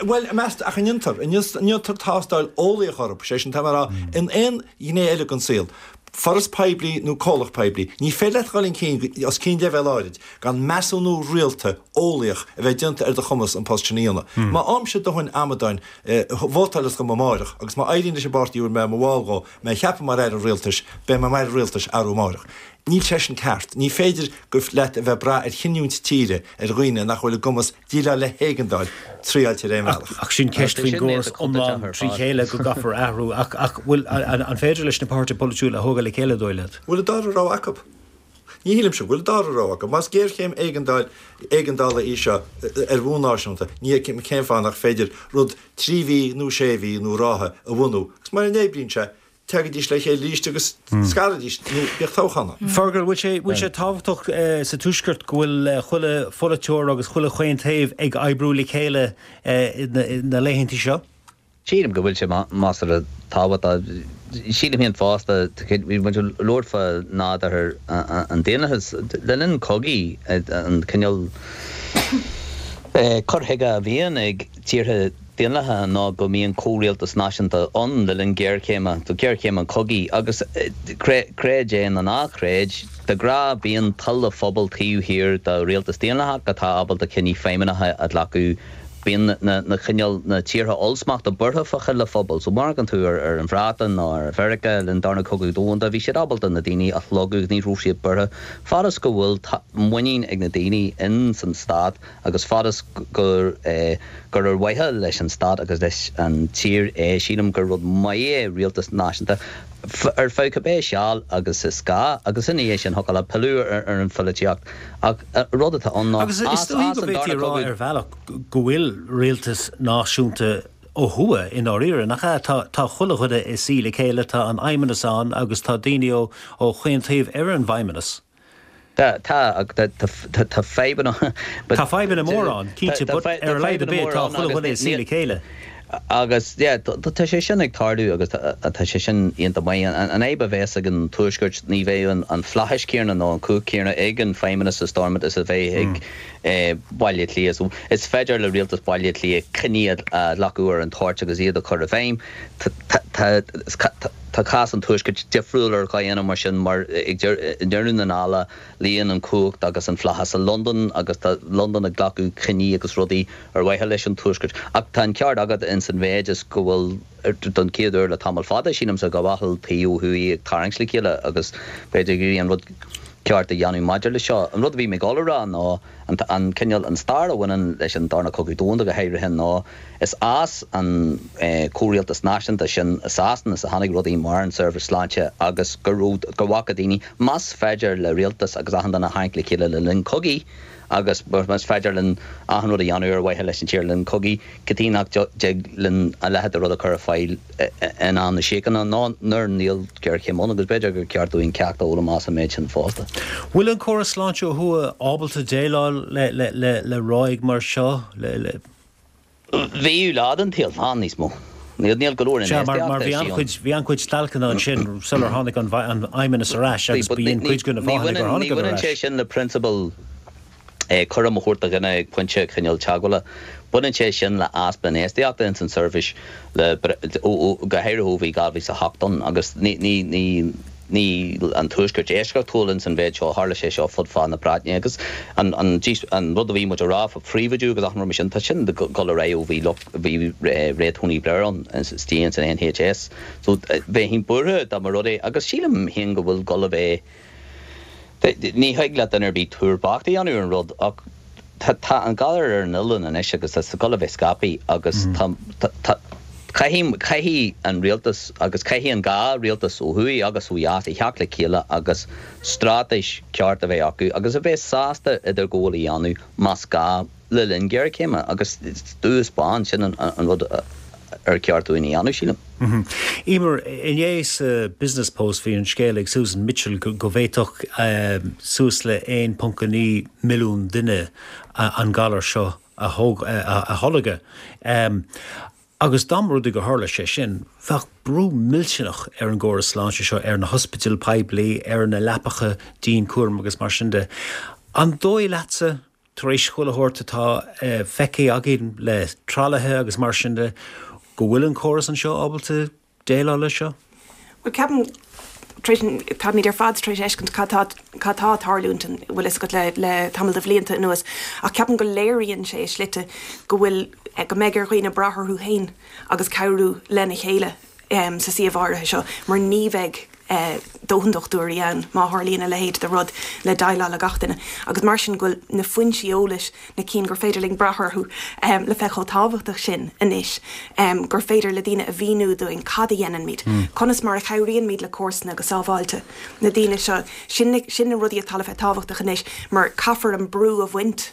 Bhuel, meas ach an ndéantar, an ndéantar tástáil eolaíoch orthu, sé sin tá mé ag rá in aon ghné eile den saol. foras poiblí nó comhlacht poiblí, ní féidir leat dhul chun cinn os cionn leibhéal áirid gan measúnú rialta eolaíoch a bheith déanta ar do chumas an post sin a dhéanamh. Má fhaighimse dóthain amadáin vótáil dom amáireach agus má éiríonn leis an bpáirtí a bhfuil mé i mo bhall dhó mé a cheapadh mar aire rialtais, beidh mé mar aire rialtais arú amáireach. Níl sé sin ceart. Ní féidir leat a bheith ag brath ar chinniúint tíre ar dhaoine nach bhfuil i gcumas déileáil le héigeandáil triáilte ar aon bhealach. Ach sin ceist faoin gcóras iomlán trí chéile go gcaithfear athrú. Ach ach bhfuil an féidir leis na páirtithe polaitiúla a thógáil le chéile dóigh leat? Bhfuil an dara rogha acu? Ní shílimse go bhfuil an dara rogha acu. Más géarchéim éigeandáil éigeandála í seo ar bhonn náisiúnta, ní fheicim cén fáth nach féidir rud trí mhí nó sé mhí nó ráithe a bhunú. Agus mura n-oibríonn sé, Tagaidís le chéile arís agus scaraidís nó bíodh toghchán ann. Fergal, bhfuil sé bhfuil sé tábhachtach sa Tuaisceart go bhfuil chuile pholaiteoir agus chuile chaon taobh ag oibriú le chéile na laethanta seo? Sílim go bhfuil sé measartha tábhachtach. Sílim féin fosta, bhí muid ag labhairt fá nádúr an daonlathais le linn cogaidh, an cineál cur chuige a bhíonn ag tíortha daonlathacha ná go mbíonn comhrialtas náisiúnta ann le linn géarchéime, géarchéim an chogaidh, agus creid é nó ná creid, de ghnáth bíonn toil an phobail taobh thiar de rialtas daonlathach atá ábalta cinní feidhmeannacha a ghlacadh. Bíonn na cineál, na tíortha ollsmachta buartha fá thoil an phobail. So má amharcann tú ar ar an Bhreatain nó ar Mheiriceá le linn Darna Cogadh Domhanda, bhí siad ábalta na daoine a shlógadh, ní raibh siad buartha. Fad is go bhfuil muinín ag na daoine in san stát agus fad is gur gur ar mhaithe leis an stát agus leis an tír é, sílim gur rud maith é rialtas náisiúnta ar feadh cibé seal agus is gá agus ina dhiaidh sin thiocfadh leat pilleadh ar an pholaitíocht. Ach rud atá ann ná Agus is dóigh go bhféadfaí a rá ar bhealach go bhfuil rialtas náisiúnta ó thuaidh i ndáiríre, nach ea? Tá tá chuile dhuine ag suí le chéile, tá an Fheidhmeannas ann agus tá daoine ó ó chaon taobh ar an bhFeidhmeannas. Tá, tá, tá, tá fadhbanna. Tá fadhbanna móra ann, cinnte, but ar a laghad ar bith tá chuile dhuine ag suí le chéile. Agus, yeah, tá sé sin ag tarlú agus tá sé sin iontach maith. An fhadhb a bheas ag an Tuaisceart, ní bheidh an flaitheas céanna nó an cumhacht céanna ag an Feidhmeannas i Stormont is a bheidh ag Baile Átha Cliath. So, is féidir le rialtas Baile Átha Cliath cinní a ghlacadh ar an toirt agus iad a chur i bhfeidhm. Tá. Tá cás an Tuaiscirt difriúil ar dhóigheanna mar sin mar ag deireadh na dála luíonn an chumhacht agus an flaitheas i Londain agus tá Londain ag glacadh cinní agus rudaí ar mhaithe leis an Tuaisceart. Ach tá an ceart agat ins an mhéid is go bhfuil don chéad uair le tamall fada, sílimse, go bhfuil taobh ó thuaidh ag tarraingt le chéile agus b'fhéidir ag iarraidh an rud ceart a dhéanamh maidir le seo. An rud a bhí mé ag dul a rá ná an cineál, an stair a bhaineann leis an Darna Cogadh Domhanda go háirithe ná is as an comhrialtas náisiúnta sin i Sasana is a tháinig rudaí mar an seirbhís sláinte agus go raibh, go bhfaca daoine más féidir le rialtas agus achan duine a tharraingt le chéile le linn cogaidh agus más féidir linn achan rud a dhéanamh ar mhaithe leis an tír le linn cogaidh, cad chuige nach dtig linn a leithéid de rud a chur ar fáil in am na síochána nó nuair níl géarchéim ann agus b'fhéidir gur ceart dúinn ceacht a fhoghlaim as an méid sin fosta. Bhfuil an córas sláinte ó thuaidh ábalta déileáil le ráig mar seo? Le. Bhíodh lá den tsaol ann níos mó. Níl go leor Sea, mar mar bhí an-chuid bhí an-chuid stailceanna ansin sular tháinig an an Fheidhmeannas ar ais agus b'in cuid de na fáthanna gur tháinig ar Ní bhaineann ais. sé sin le prionsabal cúram a thabhairt do dhuine ag pointe cineál teagmhála. Baineann sé sin le easpa infheistíochta ins an tseirbhís le go háirithe ó bhí dhá mhíle is a hocht ann agus ní ní ní níl an Tuaisceart eisceachtúil ins an mhéid seo, tharla sé seo fud fad na Breataine agus an an an rud a bhí muid a rá fá phríobháidiú agus achan rud mar sin, tá sin ag dul ar aghaidh ó bhí lucht bhí ré Tony Blair ann istigh ins an NHS. So bheinn buartha dá mba rud é agus sílim féin go bhfuil dul a bheith Ní thig le duine ar bith tuar bocht a dhéanamh ar an rud ach tá an galar ar an oileán anois agus tá sé ag dul a bheith scaipthe agus tá caithfidh caithfidh an rialtas agus caithfidh an dhá rialtas ó thuaidh agus ó dheas a theacht le chéile agus straitéis ceart a bheith acu agus a bheith sásta idirghabháil a dhéanamh más gá le linn géarchéime agus dubh is bán, sin an rud ar cheart dúinn a dhéanamh, sílim. Emer, inné sa Business Post bhí an scéal ag Susan Mitchell go bhféadfadh suas le aon ponc a naoi milliún duine an galar seo a tholgadh. Agus dá mba rud é gur tharla sé sin, bheadh brú millteanach ar an gcóras sláinte seo, ar na hospidéil poiblí, ar na leapacha dianchúraim agus mar sin de. An dóigh leatsa tar éis chuile shórt atá feicthe againn le tralaithe agus mar sin de, go bhfuil an córas anseo ábalta déileáil leis seo? Bhuel, ceapaim, Táimid ar fad tar éis fheiscint cad tá cad tá ag tarlúint an bhfuil fhios agat le le tamall de bhlianta anuas ach ceapaim go léiríonn sé i slite go bhfuil go mbeidh ar dhaoine brath orthu féin agus cabhrú lena chéile um, sa suíomh áirithe seo mar ní bheidh eh, dóthain dochtúirí ann má tharlaíonn a leithéid de rud le déileáil le gach duine. Agus mar sin go bhfuil na foinsí eolais na cinn gur féidir linn brath orthu um, le bheith chomh tábhachtach sin anois um, gur féidir le daoine a mhíniú dúinn cad a dhéanaimid. Mm. Conas mar a chabhraímid le comharsana go sábháilte. Na daoine seo sin, sin na rudaí atá le bheith tábhachtach anois mar caithfear an brú a bhaint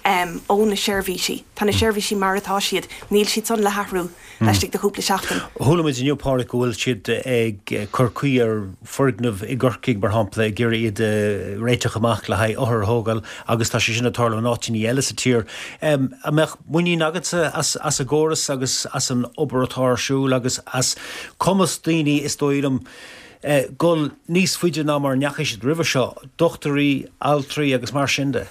um, ó na seirbhísí. Tá na seirbhísí mar atá siad, níl siad san le hathrú laistigh de chúpla seachtain. Chuala muid inniu Pádraig go bhfuil siad ag cur caoi ar foirgneamh i gCorcaigh mar shampla ag iarraidh iad réiteach amach le haghaidh othair a thógáil agus tá sé sin ag tarlú in áiteanna eile sa tír. Um, an mbeadh muinín agatsa as, as an gcóras agus as an obair atá ar siúl agus as cumas daoine is dóigh liom eh, gul níos faide ná mar a ndeachaigh siad roimhe seo, dochtúirí, altraí agus mar sin de.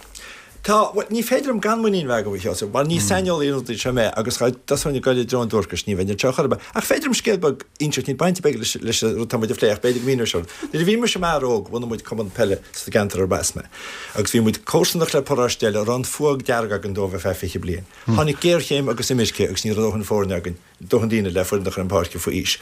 Tá ní féidir liom gan muinín bheith agam Sheosamh, mar ní saineolaí an rud seo mé agus dosún go le dron dúrcas ní bheinn seo chorba. Ach féidir liom scéal beag a inseacht níl baint beag leis leis an rud tá muid a phlé ach b'fhéidir go míneoidh seo. Nuair a bhí mise mar óg bhunaigh muid cumann peile sa gceantar arb as mé. Agus bhí muid comharsanach le paróiste eile a raibh an fuath dearg againn dóibh ar feadh fiche bliain. Tháinig géarchéim agus imirce agus ní raibh dóthain foirne againn, dóthain daoine le foireann a chur ar an bpáirc faoi aois.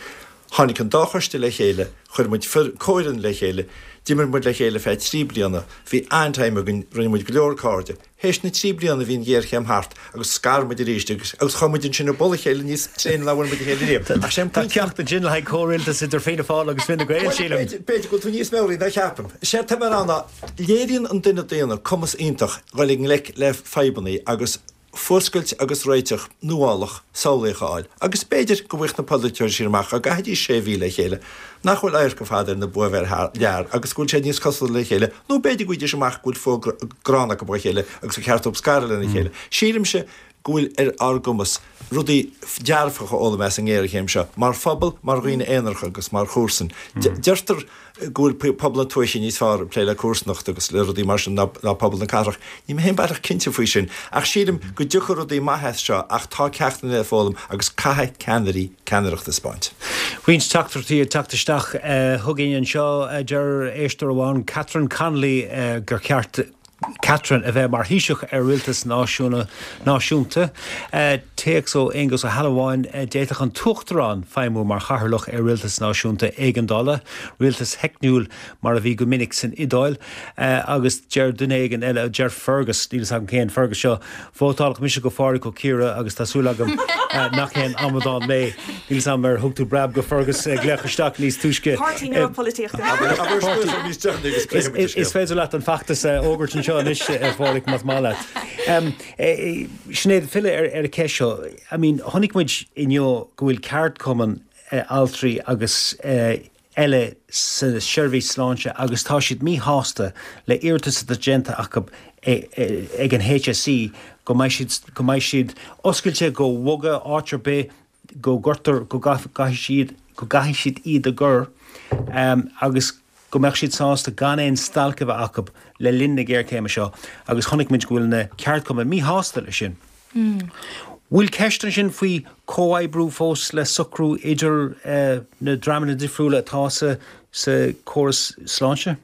Tháinig an dá choiste le chéile, chuir muid comhfhoireann le chéile, d'imir muid le chéile feadh trí bliana, bhí an-time againn, rinne muid go leor cairde. Théis na trí bliana bhí an ghéarchéim thart agus scar muid arís agus agus chuaigh muid ansin i bpoll a chéile níos tréine ná bhfuil muid a chéile riamh. Ach sé an Tá ceacht ansin le haghaidh comhrialtas idir Fianna Fáil agus Fine Gael, sílim. B'fhéidir go bhfuil tú níos meabhraí ná ceapaim. Sé tá mé ann léiríonn an duine daonna cumas iontach dul i ngleic le fadhbanna agus fuascailt agus réiteach nuálach samhlaíoch a fháil, agus b'fhéidir go bhfuil na polaiteoirí sin amach go gcaithfidís sé mhí le chéile, nach bhfuil adharca fada ar na buabhéil lear agus go bhfuil sé níos cosúla le chéile, nó b'fhéidir go bhfaighidís amach go bhfuil fuath gránna acu a chéile agus gur cheart dóibh scaradh lena chéile. Sílimse go bhfuil ar ár gcumas rudaí dearfacha a fhoghlaim as an ngéarchéim seo, mar phobal, mar dhaoine aonaracha agus mar chomharsain. Deirtear go bhfuil pobal na tuaithe níos fearr ag plé le comharsanacht agus le rudaí mar sin ná ná pobal na cathrach. Níl mé féin baileach cinnte faoi sin, ach sílim go dtiocfaidh rudaí maithe as seo ach tá ceachtanna le foghlaim agus caithfidh ceannairí ceannaireacht a thaispeáint. Roinnt teachtaireachtaí ag teacht isteach chugainn anseo deir éisteoir amháin Catherine Connolly gur cheart Catherine a bheith mar Thaoiseach ar rialtas náisiúna náisiúnta. Téacs ó Aonghus Ó hAlmhain d'fhéadfadh an tUachtarán feidhmiú mar chathaoirleach ar rialtas náisiúnta éigeandála, rialtas theicniúil mar a bhí go minic san Iodáil, agus deir duine éigin eile deir Fergus níl a fhios agam cén Fergus seo, vótálfaidh mise go Phádraig Ó Ciardha agus tá súil agam nach aon amadán mé. Níl a fhios agam ar thug tú breab go Fergus glaoch isteach níos túisce. Páirtí nua polaitíochta. Is féidir leat an feachtas a fhógairt anseo anois a Phádraig más maith leat. Sinéad filleadh ar ar an cheist seo. I mean, chonaic muid inniu go bhfuil ceardchumann altraí agus eile sa seirbhís sláinte agus tá siad míshásta le iarratas atá déanta acu ag an HSE go mbeidh siad go mbeidh siad oscailte go bhogadh áit ar bith go gcuirtear go gcaithfidh siad go gcaithfidh siad iad a chur um, agus go mbeadh siad sásta gan aon stailc a bheith acu le linn na géarchéime seo agus chonaic muid go bhfuil na ceardchumainn míshásta leis sin. Mm. Bhfuil ceist ansin faoi comhoibriú fós le socrú idir uh, na dreamanna difriúla atá sa sa córas sláinte?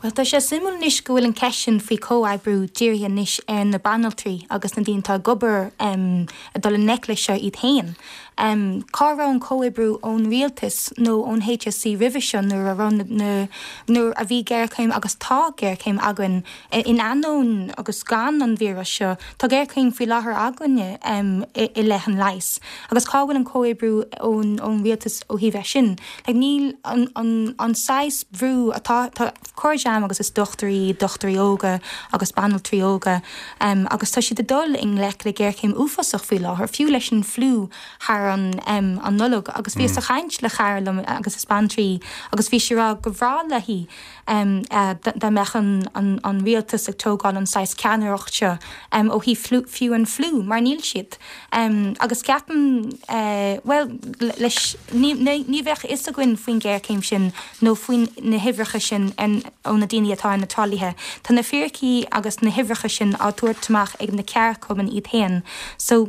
Well tá sé suimiúil anois go bhfuil an ceist sin faoi comhoibriú dírithe anois ar na banaltraí agus na daoine atá ag obair um, ag dul i ngleic leis seo iad féin. Um, cá raibh an comhoibriú ón rialtas nó ón HSE roimhe seo nuair a raibh na nuair a bhí géarchéim agus tá géarchéim againn in ainneoin agus gan an víreas seo, Tá géarchéim faoi láthair againne um, i, i leith an leighis. Agus cá bhfuil an comhoibriú ón ón rialtas ó thaobh é sin. Like, níl an, an, an saghas brú atá cairde agus is dochtúirí, dochtúirí óga agus banaltraí óga um, agus tá siad ag dul i ngleic le géarchéim uafásach faoi láthair, fiú leis an fliú thar an, um, an Nollaig agus bhí mm. ag caint le cara liom agus is banaltra agus bhí sí ag rá gur bhreá léi um, uh, dá mbeadh an, an, an rialtas ag tógáil an saghas ceannaireacht seo um, ó thaobh fiú an fliú mar níl siad. Um, agus ceapaim uh, well leis ní, ní, ní bheadh fhios againn faoin géarchéim sin nó faoin na huimhreacha sin an, ó na na daoine atá ar na tralaithe. Tá na fíricí agus na huimhreacha sin á dtabhairt amach ag na ceardchumainn iad féin. So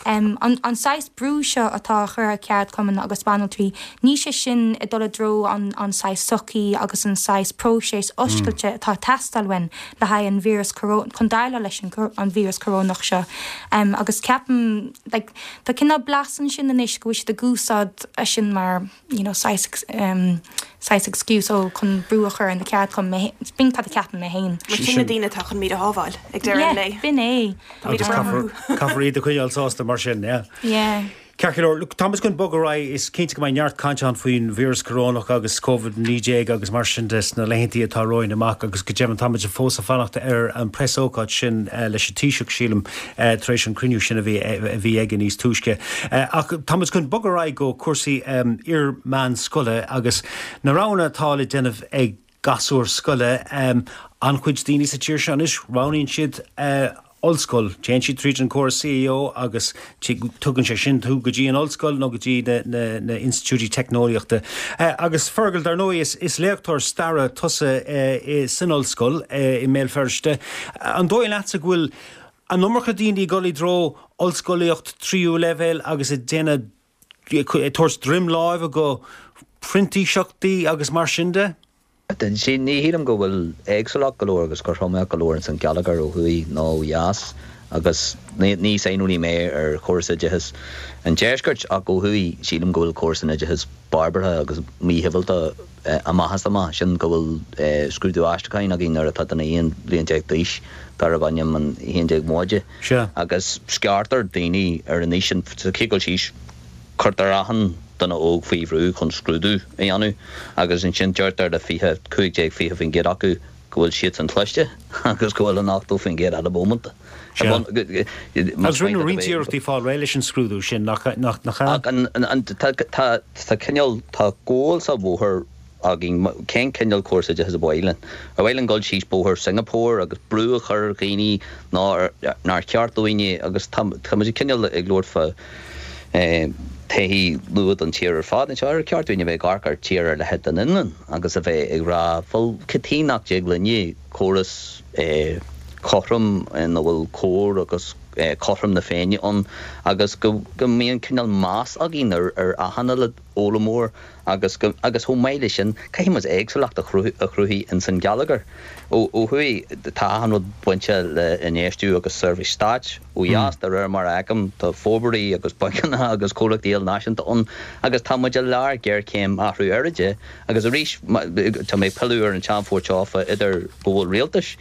um, an, an saghas brú seo atá á chur ar cheardchumainn agus banaltraí, níl sé sin ag dul i dtreo an, an saghas sochaí agus an saghas próiseas oscailte mm. atá ag teastáil uainn le haghaidh an víreas chun déileáil leis an, an víreas corónach seo. Um, agus ceapaim like, tá cineál blas ansin anois go bhfuil siad ag úsáid é sin mar you know, saghas um, saghas excuse ó chun brú a chur ar na ceardchumainn b'in cad a cheapaim mé féin. Mar sin na daoine atá chun muid a shábháil ag deireadh an lae. B'in é. Agus caithfear iad a choinneáil sásta mar sin, yeah. Yeah. Ceart go leor, look, táimid chun bogadh ar aghaidh, is cinnte go mbeidh neart cainte ann faoin víreas corónach agus Covid naoi déag agus mar sin de sna laethanta atá romhainn amach agus go deimhin táimid fós ag fanacht ar an preasócáid sin leis an Taoiseach, sílim, tar éis an cruinniú sin a bhí a bhí aige níos túisce. Ach táimid chun bogadh ar aghaidh go cúrsaí iar-mheánscoile agus na roghanna atá le déanamh ag gasúir scoile. An-chuid daoine sa tír seo anois, roghnaíonn siad ollscoil. Téann siad tríd an córas C A O agus tugann sé sin tú go dtí an ollscoil nó go dtí na na institiúidí teicneolaíochta. Agus Fergal, dar ndóigh is is léachtóir staire tusa san ollscoil i mBéal Feirste. An dóigh leatsa go bhfuil an iomarca daoine ag dul i dtreo ollscolaíocht tríú leibhéal agus ag déanamh ag tabhairt droim láimhe go printíseachtaí agus mar sin de? Ní shílim go bhfuil éagsúlacht go leor agus cothromaíocht go leor ins an gheilleagar ó thuaidh nó ó dheas agus ní saineolaí mé ar chóras oideachais an deiscirt ach ó thuaidh sílim go bhfuil córas an oideachais barbartha agus míshibhialta amach is amach, sin go bhfuil scrúdú aistriúcháin againn nuair atá duine aon bhliain déag d'aois darb ainm an haon déag Móide agus scartar daoine ar an aois sin sa chéad dul síos. Cuirtear achan duine óg faoi bhrú chun scrúdú a dhéanamh agus ansin deirtear le fiche, cúig déag, fiche faoin gcéad acu go bhfuil siadsan cliste agus go bhfuil an ochtó faoin gcéad eile bómánta. Sea. Agus rinneadh roinnt iarrachtaí fáil réidh leis an scrúdú sin, nach ea? Ach an, tá, tá, tá cineál, tá gual sa bhóthar againn cén cineál córas oideachais ab áil linn. Ar mhaith linn dul síos bóthar Singapore agus brú a chur ar dhaoine nár nár cheart dúinne agus tá tá muid cineál ag labhairt fá todhchaí luath don tír ar fad anseo. Ar cheart dúinn a bheith ag amharc ar tír ar leithéid den Fhionlainn agus a bheith ag rá bhuel cad chuige nach dtig linne córas cothrom ina bhfuil cóir agus cothrom na Féinne ann agus go go mbíonn cineál meas againn ar ar achan uile fhoghlaimeoir agus go agus chomh maith leis sin caithfidh muid éagsúlacht a chruthú a chruthú ins an gheilleagar. Ó ó thuaidh tá achan rud bainte le infheistiú agus seirbhís stáit. Ó dheas de réir mar a fheicim tá forbairtí agus bancanna agus comhlachtaí ilnáisiúnta ann agus tá muid i lár géarchéim athrú aeráide agus arís tá mé ag pilleadh ar an tseanphort seo fá idir go bhfuil rialtais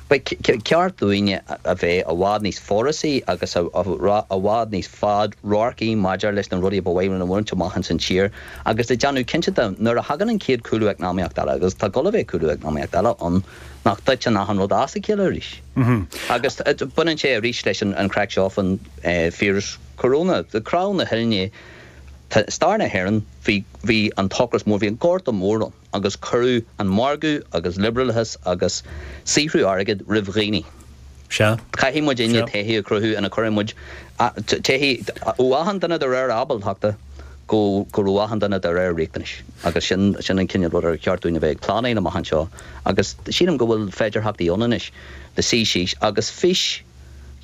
Ba cheart dúinne a bheith i bhfad níos forásaí agus i bhfad níos fad-radharcaí maidir leis na rudaí ba mhaith linn a bhaint amach ins an tír agus ag déanamh cinnte de nuair a thagann an chéad chúlú eacnamaíocht eile, agus tá gabháil a bheith cúlú eacnamaíocht eile ann, nach dtiteann achan rud as a chéile arís. Agus baineann sé arís leis an chraic seo faoin víreas coróna. Crann na huillinne. Stair na hÉireann, bhí, bhí an t-ocras mór, bhí an Gorta Mór ann agus cuireadh an margadh agus liobrálachas agus saothrú airgid roimh dhaoine. Sea. Caithfidh muidinne todhchaí a chruthú ina gcuireann muid todhchaí ó achan duine de réir ábaltachta go go raibh achan duine de réir riachtanais agus sin, sin an cineál rud ar cheart dúinn a bheith ag pleanáil amach anseo agus sílim go bhfuil féidearthachtaí ann anois le suí síos agus fís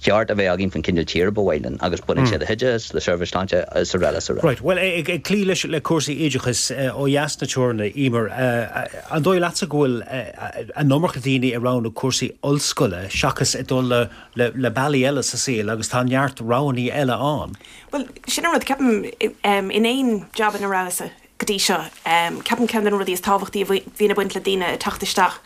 cheart a bheith againn faoin cineál tíre ba mhaith linn agus baineann sé le hoideachas, le seirbhís sláinte is araile is araile. Right, bhuel ag cloí leis le cúrsaí oideachais ó dheas na teorann, Emer, an dóigh leatsa go bhfuil an iomarca daoine ag roghnú cúrsaí ollscoile seachas ag dul le le bealaí eile sa saol agus tá neart roghanna eile ann? Bhuel, sin an rud, ceapaim, in aon jab ina rabhas-sa go dtí seo, ceapaim ceann de na rudaí is tábhachtaí a bhíonn ag baint le daoine ag teacht isteach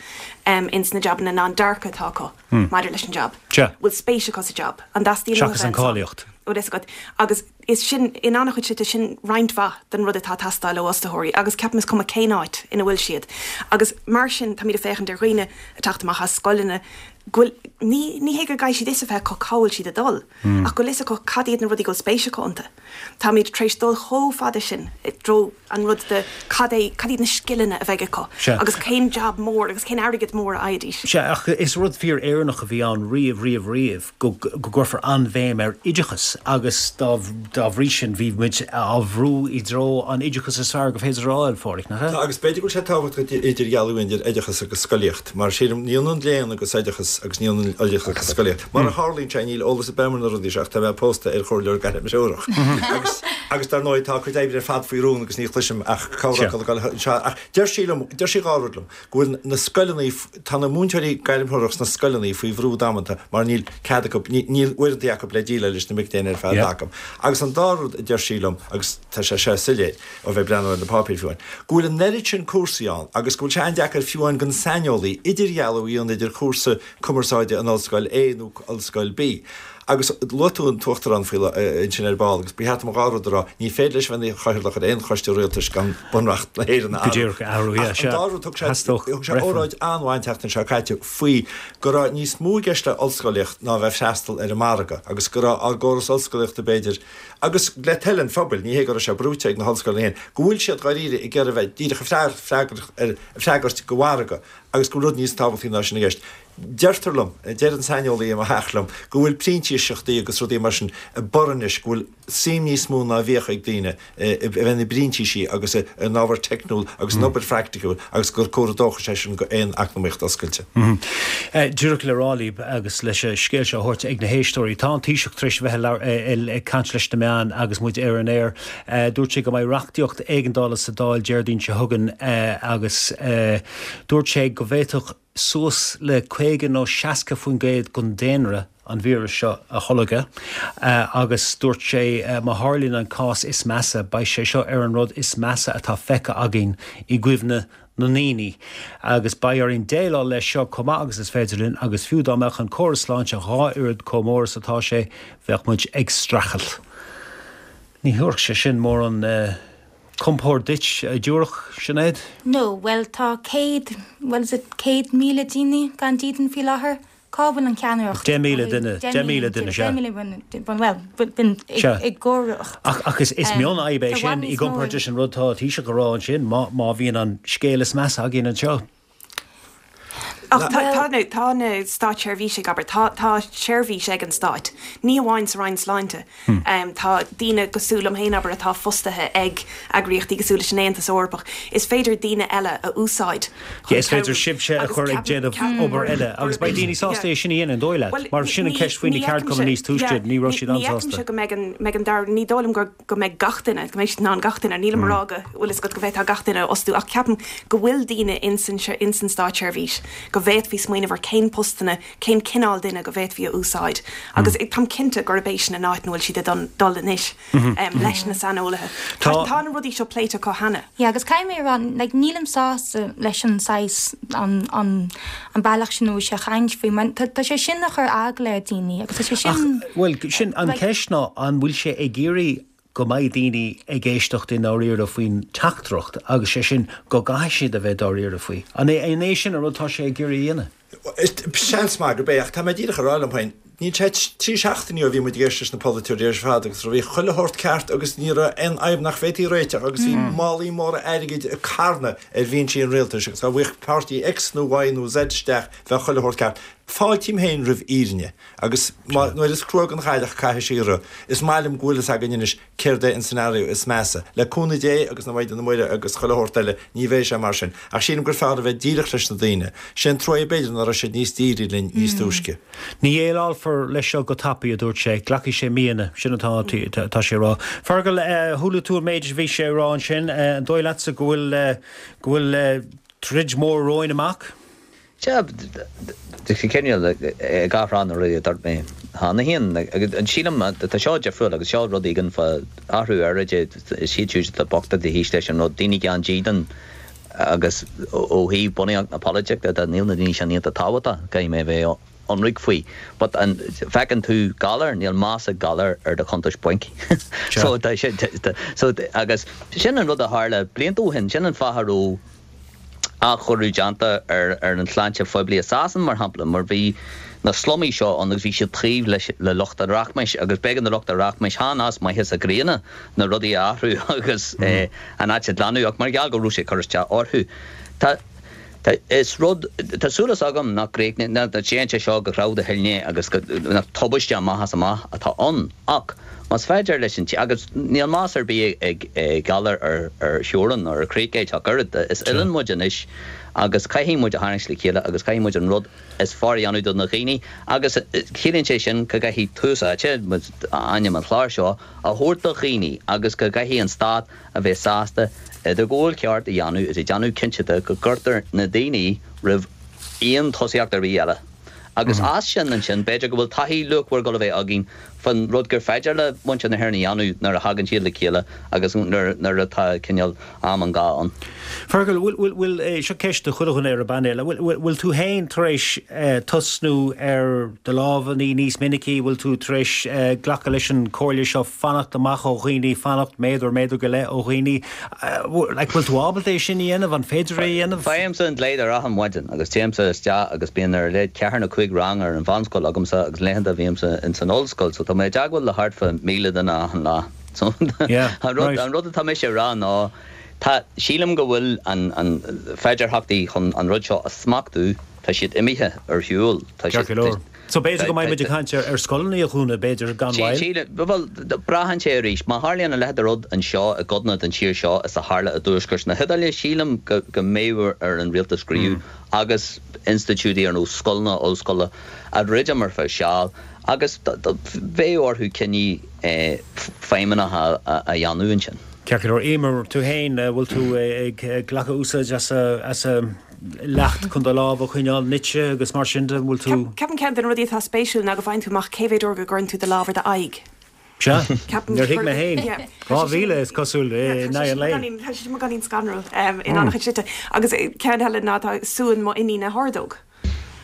ins na jabanna ná an dearcadh atá acu maidir leis an jab. Bhfuil spéis acu sa jab? An dteastaíonn uathu Seachas an cáilíocht. Bhfuil fhios agat. Agus is sin, in an-chuid slite, sin roinnt mhaith den rud atá ag teastáil ó fhostaitheoirí agus ceapaim is cuma cén áit ina bhfuil siad. Agus mar sin táimid ag féachaint ar dhaoine ag teacht amach as scoileanna, go bhfuil, ní, ní hé go gcaithfidh siad fhios a bheith acu cá bhfuil siad ag dul, ach go bhfuil fhios acu cad iad na rudaí go bhfuil spéis acu iontu. Táimid tar éis dul chomh fada sin i dtreo an rud de cad é, cad iad na scileanna a bheidh acu Sea. agus cén jab mór agus cén airgead mór a fhaighidís. Sea, ach is rud fíor-Éireannach a bhí ann riamh, riamh, riamh go, go gcuirfear an-bhéim ar oideachas agus dá, dá bhrí sin bhí muid á bhrú i dtreo an oideachas is fearr gur féidir a fháil, Phádraic, nach ea? Tá, agus b'fhéidir go bhfuil sé tábhachtach idirdhealú idir oideachas agus scolaíocht, mar sílim, ní ionann léann agus oideachas agus ní ionann oideachas agus scolaíocht. Mar a tharlaíonn sé, níl eolas ar bith agam ar na rudaí seo ach tá mé pósta ar chomhairleoir gairmthreorach. Agus, agus dar ndóigh tá a cuid oibre ar fad faoi rún agus ní chloisim ach comhrá ag anseo. Ach deir sí liom, deir sí dhá rud liom, go bhfuil na scoileanna, tá na múinteoirí gairmthreorach sna scoileanna faoi bhrú damanta mar níl cead acu, níl uaireanta acu le déileáil leis na mic léinn ar feadh acu. Agus an dara rud a deir sí liom, agus tá sé seo soiléir ó bheith ag breathnú ar na páipéir fiú amháin, go bhfuil an oiread sin cúrsaí ann agus go bhfuil sé an-deacair fiú amháin don saineolaí idirdhealú a dhéanamh idir chúrsa cumarsáide in ollscoil A nó ollscoil B. Agus luaigh tú an tUachtarán faoi ansin ar ball agus ba cheart dom dhá rud a rá, ní féidir leis bheith ina chathaoirleach ar aon choiste rialtais gan Bunreacht na hÉireann a athrú. Ach an dá rud, thug sé thug sé óráid an-mhaith an tseachtain seo caite faoi go raibh níos mó i gceist le ollscolaíocht ná bheith freastal ar an margadh agus go raibh ár gcóras ollscolaíochta b'fhéidir, agus le toil an phobail, ní hé go raibh sé brúite ag na hollscoileanna féin, go bhfuil siad dháiríre ag iarraidh bheith díreach ag freagairt do mhargadh agus go bhfuil rud níos tábhachtaí ná sin i gceist. Deirtear liom, deir an saineolaí i mo theach liom, go bhfuil printíseachtaí agus rudaí mar sin ag borradh anois, go bhfuil suim níos mó ná a bhíodh ag daoine i bheith ina bprintísí agus in ábhar teicniúil agus in obair phraiticiúil agus gur comhartha dóchais é sin go aon eacnamaíocht oscailte. Díreach le rá libh agus leis an scéal seo a thabhairt ag na héisteoirí, tá an Taoiseach tar éis a bheith ag caint leis na meáin agus muid ar an aer. Dúirt sé go mbeidh reachtaíocht éigeandála sa Dáil Déardaoin seo chugainn agus dúirt sé go bhféadfadh suas le caoga nó seasca faoin gcéad den daonra an víreas seo a tholgadh agus dúirt sé má tharlaíonn an cás is measa, beidh sé seo ar an rud is measa atá feicthe againn i gcuimhne na ndaoine agus beidh orainn déileáil leis seo chomh maith agus is féidir linn agus fiú dá mbeadh an córas sláinte dhá oiread chomh mór is atá sé, bheadh muid ag streachailt. Ní thabharfadh sé sin mórán compord duit, a dtabharfadh, Sinéad? No, bhuel tá céad, well is it céad míle daoine gan dídean faoi láthair? Cá bhfuil an cheannaireacht? Deich míle duine, deich míle duine, sea. Deich míle duine, bhuel, b'in i gcomhaireacht. Ach, ach is, is mionfhadhb é sin i gcomparáid leis an rud atá an Taoiseach a rá ansin, má, má bhíonn an scéal is measa againn anseo. Ach tá, tá na, tá na státseirbhísigh, abair, tá, tá seirbhís ag an Stát, ní amháin sa Roinn Sláinte. Tá daoine cosúil liom féin, abair, atá fostaithe ag eagraíochtaí cosúil leis an Aontas Eorpach. Is féidir daoine eile a úsáid chun Is féidir sibhse a chur ag déanamh obair eile agus beidh daoine sásta é sin a dhéanamh, an dóigh leat? Mar sin an ceist faoi na ceardchumainn níos túisce, ní raibh siad an-sásta. Ní fheicimse go mbeidh an, mbeidh an dara, ní dóigh liom gur, go mbeidh gach duine, go mbeidh siad in ann gach duine, nílim ag rá go bhfuil fhios agat go bhféadfá gach duine a fhostú ach ceapaim go bhfuil daoine ins an, ins an státseirbhís go bhféadfaí smaoineamh ar cén postanna, cén cineál duine go bhféadfaí a úsáid agus táim cinnte gurb é sin an áit ina bhfuil siad ag dul anois leis na saineolaithe. Tá, tá na rudaí seo pléite acu cheana. Yeah, agus caithfidh mé a rá, like, nílim sásta leis an saghas, an, an, an bealach sin a bhfuil sé ag caint faoi, mar tá, tá sé sin ag cur eagla ar daoine agus tá sé sin, Ach, bhuel, sin an ceist ná an bhfuil sé ag iarraidh go mbeidh daoine ag éisteacht i ndáiríre faoin teachtaireacht agus sé sin go gcaithfidh siad a bheith dáiríre faoi. An é, an é sin an rud atá sé ag iarraidh a dhéanamh? Seans maith gurb é, ach tá mé díreach ag rá liom féin, níl sé trí seachtainí ó bhí muid ag éisteacht leis na polaiteoirí ar fad agus bhí chuile shórt ceart agus ní raibh aon fhadhb nach bhféadfaí a réiteach agus bhí málaí móra airgid ag carnadh ar bhinsí an rialtais agus dá bhfaigheadh páirtí X nó Y nó Z isteach bheadh chuile shórt ceart. Fáiltím féin roimh fhírinne agus má, nuair is crua don chailleach caithfidh sí rith. Is maith liom go bhfuil fhios againn anois céard é an scenario is measa. Le cúnamh Dé agus na Maighdine Muire agus chuile shórt eile ní bheidh sé mar sin. Ach sílim gur fearr a bheith díreach leis na daoine. Sé an trua é b'fhéidir nach raibh siad níos dírí linn níos túisce. Ní dhéileálfar leis seo go tapaidh, a dúirt sé. Glacfaidh sé míonna. Sin atá atá sé a rá. Fergal, chuala tú an méid a bhí sé a rá ansin. An dóigh leatsa go bhfuil go bhfuil troid mhór romhainn amach? Sea, tá sé cineál ag athrá na rudaí a dúirt mé cheana féin. Agus sílim, tá seo difriúil agus seo rud éigin fá athrú aeráide, is iad siúd atá bocht atá thíos leis an rud, daoine gan dídean agus ó thaobh bunaíocht na polaitíochta de, níl na daoine sin iontach tábhachtach, caithfidh mé a bheith ionraic faoi. But an bhfeiceann tú galar, níl meas ag galar ar do chuntais bainc. So tá sé, so agus sin an rud a tharla blianta ó shin, sin an fáth a raibh, athchóiriú déanta ar ar an tsláinte phoiblí i Sasain, mar shampla, mar bhí na slumaí seo ann agus bhí siad taobh leis le lucht an rachmais agus b'éigean do lucht an rachmais chan as maitheas a gcríonna na rudaí a athrú agus an áit a ghlanadh ach mar gheall go raibh sé ag cur isteach orthu. Tá tá is rud tá súil agam nach gcríochnaíonn nach dtéann sé seo go clamhda thuilne agus go nach tubaiste amach as amach atá ann ach más féidir leis an agus níl meas ar bith ag galar ar ar theorainn ar chríoch ach oiread. Is oileán muid anois agus caithfidh muid a tharraingt le chéile agus caithfidh muid an rud is fearr a dhéanamh do na dhaoine agus ciallaíonn sé sin go gcaithfidh tús áite, ainm an chláir seo, a thabhairt do dhaoine agus go gcaithfidh an stát a bheith sásta idirghabháil cheart a dhéanamh is ag déanamh cinnte de go gcuirtear na daoine roimh aon tosaíocht ar bith eile. Agus as sin ansin, b'fhéidir go bhfuil taithí luachmhar ag dul a bheith againn fan rud gur féidir le muintir na hÉireann a dhéanamh nuair a thagann siad le chéile agus nuair nuair atá cineál am an gá ann. Fergal, bhfuil, bhfuil, bhfuil, seo ceist do chuile dhuine ar an bpainéal, bhfuil, bhfuil, bhfuil tú féin tar éis tosnú ar do lámha a ní níos minicí, bhfuil tú tar éis glacadh leis an chomhairle seo fanacht amach ó dhaoine, fanacht méadar, méadar go leith ó dhaoine, like, bhfuil tú ábalta é sin a dhéanamh, an féidir é a dhéanamh? Faighimse an dlaoi achan mhaidin agus téimse isteach agus bíonn ar a laghad ceathair nó cúig rang ar an mheánscoil agamsa agus laethanta bhímse ins an ollscoil so tá mé i dteagmháil le thart fá míle duine achan lá. So Yeah, an rud right. an rud atá mise a rá ná tá sílim go bhfuil an an féidearthachtaí chun an rud seo a smachtú tá siad imithe ar shiúl. Tá Ceart siad go leor. So b'fhéidir go mbeidh muid ag caint ar ar scoileanna a dhúnadh, b'fhéidir gan mhoill? Sílim, bhuel, braitheann sé arís. Má tharlaíonn a leithéid de rud anseo i gcodanna den tír seo is a tharla i dtuaisceart na hIodáile, sílim go go mbeidh ar an rialtas gníomhú agus institiúidí ar nós scoileanna, ollscoile a dhruidim ar feadh seal agus bheadh orthu cinní feidhmeannacha a dhéanamh ansin. Ceart go leor. Emer, tú féin, bhfuil tú ag glacadh úsáid as as leacht chun do lámha a choinneáil nite agus mar sin de, bhfuil tú. Ceapaim ceann de na rudaí atá spéisiúil ná go bhfaigheann tú amach cé mhéad uair go gcuireann tú do lámh ar d'aghaidh. Sea, Ceapaim níor thuig mé féin. Yeah. Dhá mhíle is cosúil in aghaidh an lae. Tá sé sin beagáinín scanrúil in an-chuid slite. Agus ceann eile ná tá suan mo iníne hordóg.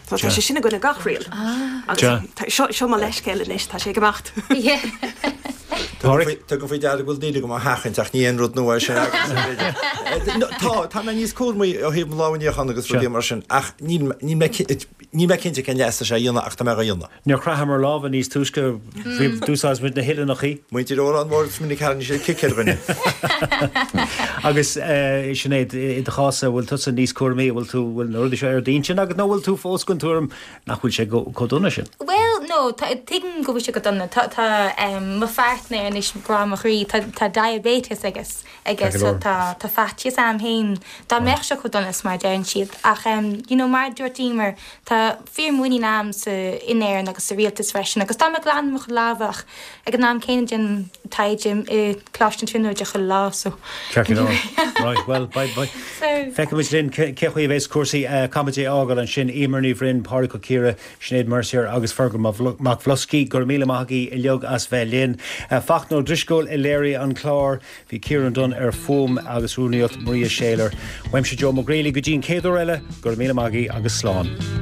So tá sé sin i gcoinne gach riail. Agus Sea. tá- seo seo mo leithscéal anois, tá sé ag imeacht. Pádraic? Tugaim faoi deara go bhfuil daoine agam á sheachaint ach ní aon rud nua é sin agus b'fhéidir. Tá, tá mé níos cúramaí ó thaobh mo lámha a níochán agus rudaí mar sin ach níl níl mé níl mé cinnte cén leas atá sé a dhéanamh ach tá mé á dhéanamh. Níor chroitheamar lámha níos túisce, bhí d'úsáid muid na huillinneacha. Muintir Órán Mór is minic tharraing siad cic ar dhuine. Agus Sinéad, i do chás bhfuil tusa níos cúramaí, bhfuil tú bhfuil na rudaí seo ar d'intinn agat nó bhfuil tú fós den tuairim nach bhfuil sé chomh dona sin? Well, no, tá- tuigim go bhfuil sé go dona. Tá tá um, mo pháirtnéir anois grá mo chroí, tá tá diabetes agus agus Ceart go so leor. tá tá faitíos orm féin dá mbeadh sé chomh dona is mar deireann siad. Ach um, you know, mar dúirt Emer, tá fíormhuinín agam sa in Éirinn agus sa rialtas freisin, agus tá mé glan mo lámha ach ag an am céanna déanaim taighde i Coláiste na Tríonóide chuile lá so. Ceart go leor. Right, well, bye bye. So Feicfimid linn cé chaoi a bheas cúrsaí caithfimid é a fhágáil ansin Emer Ní Bhroin, Pádraic Ó Ciardha, Sinéad Mercier agus Fergal Mac Bhloscaí go raibh míle maith agaibh uilig as bheith linn. Fachtna Ó Drisceoil a léirigh an clár, bhí Ciarán Dunne ar fuaim agus rúnaíocht Maria Shaler. Uaimse Joe Mac Greally go dtí an chéad uair eile, go raibh míle maith agaibh agus slán.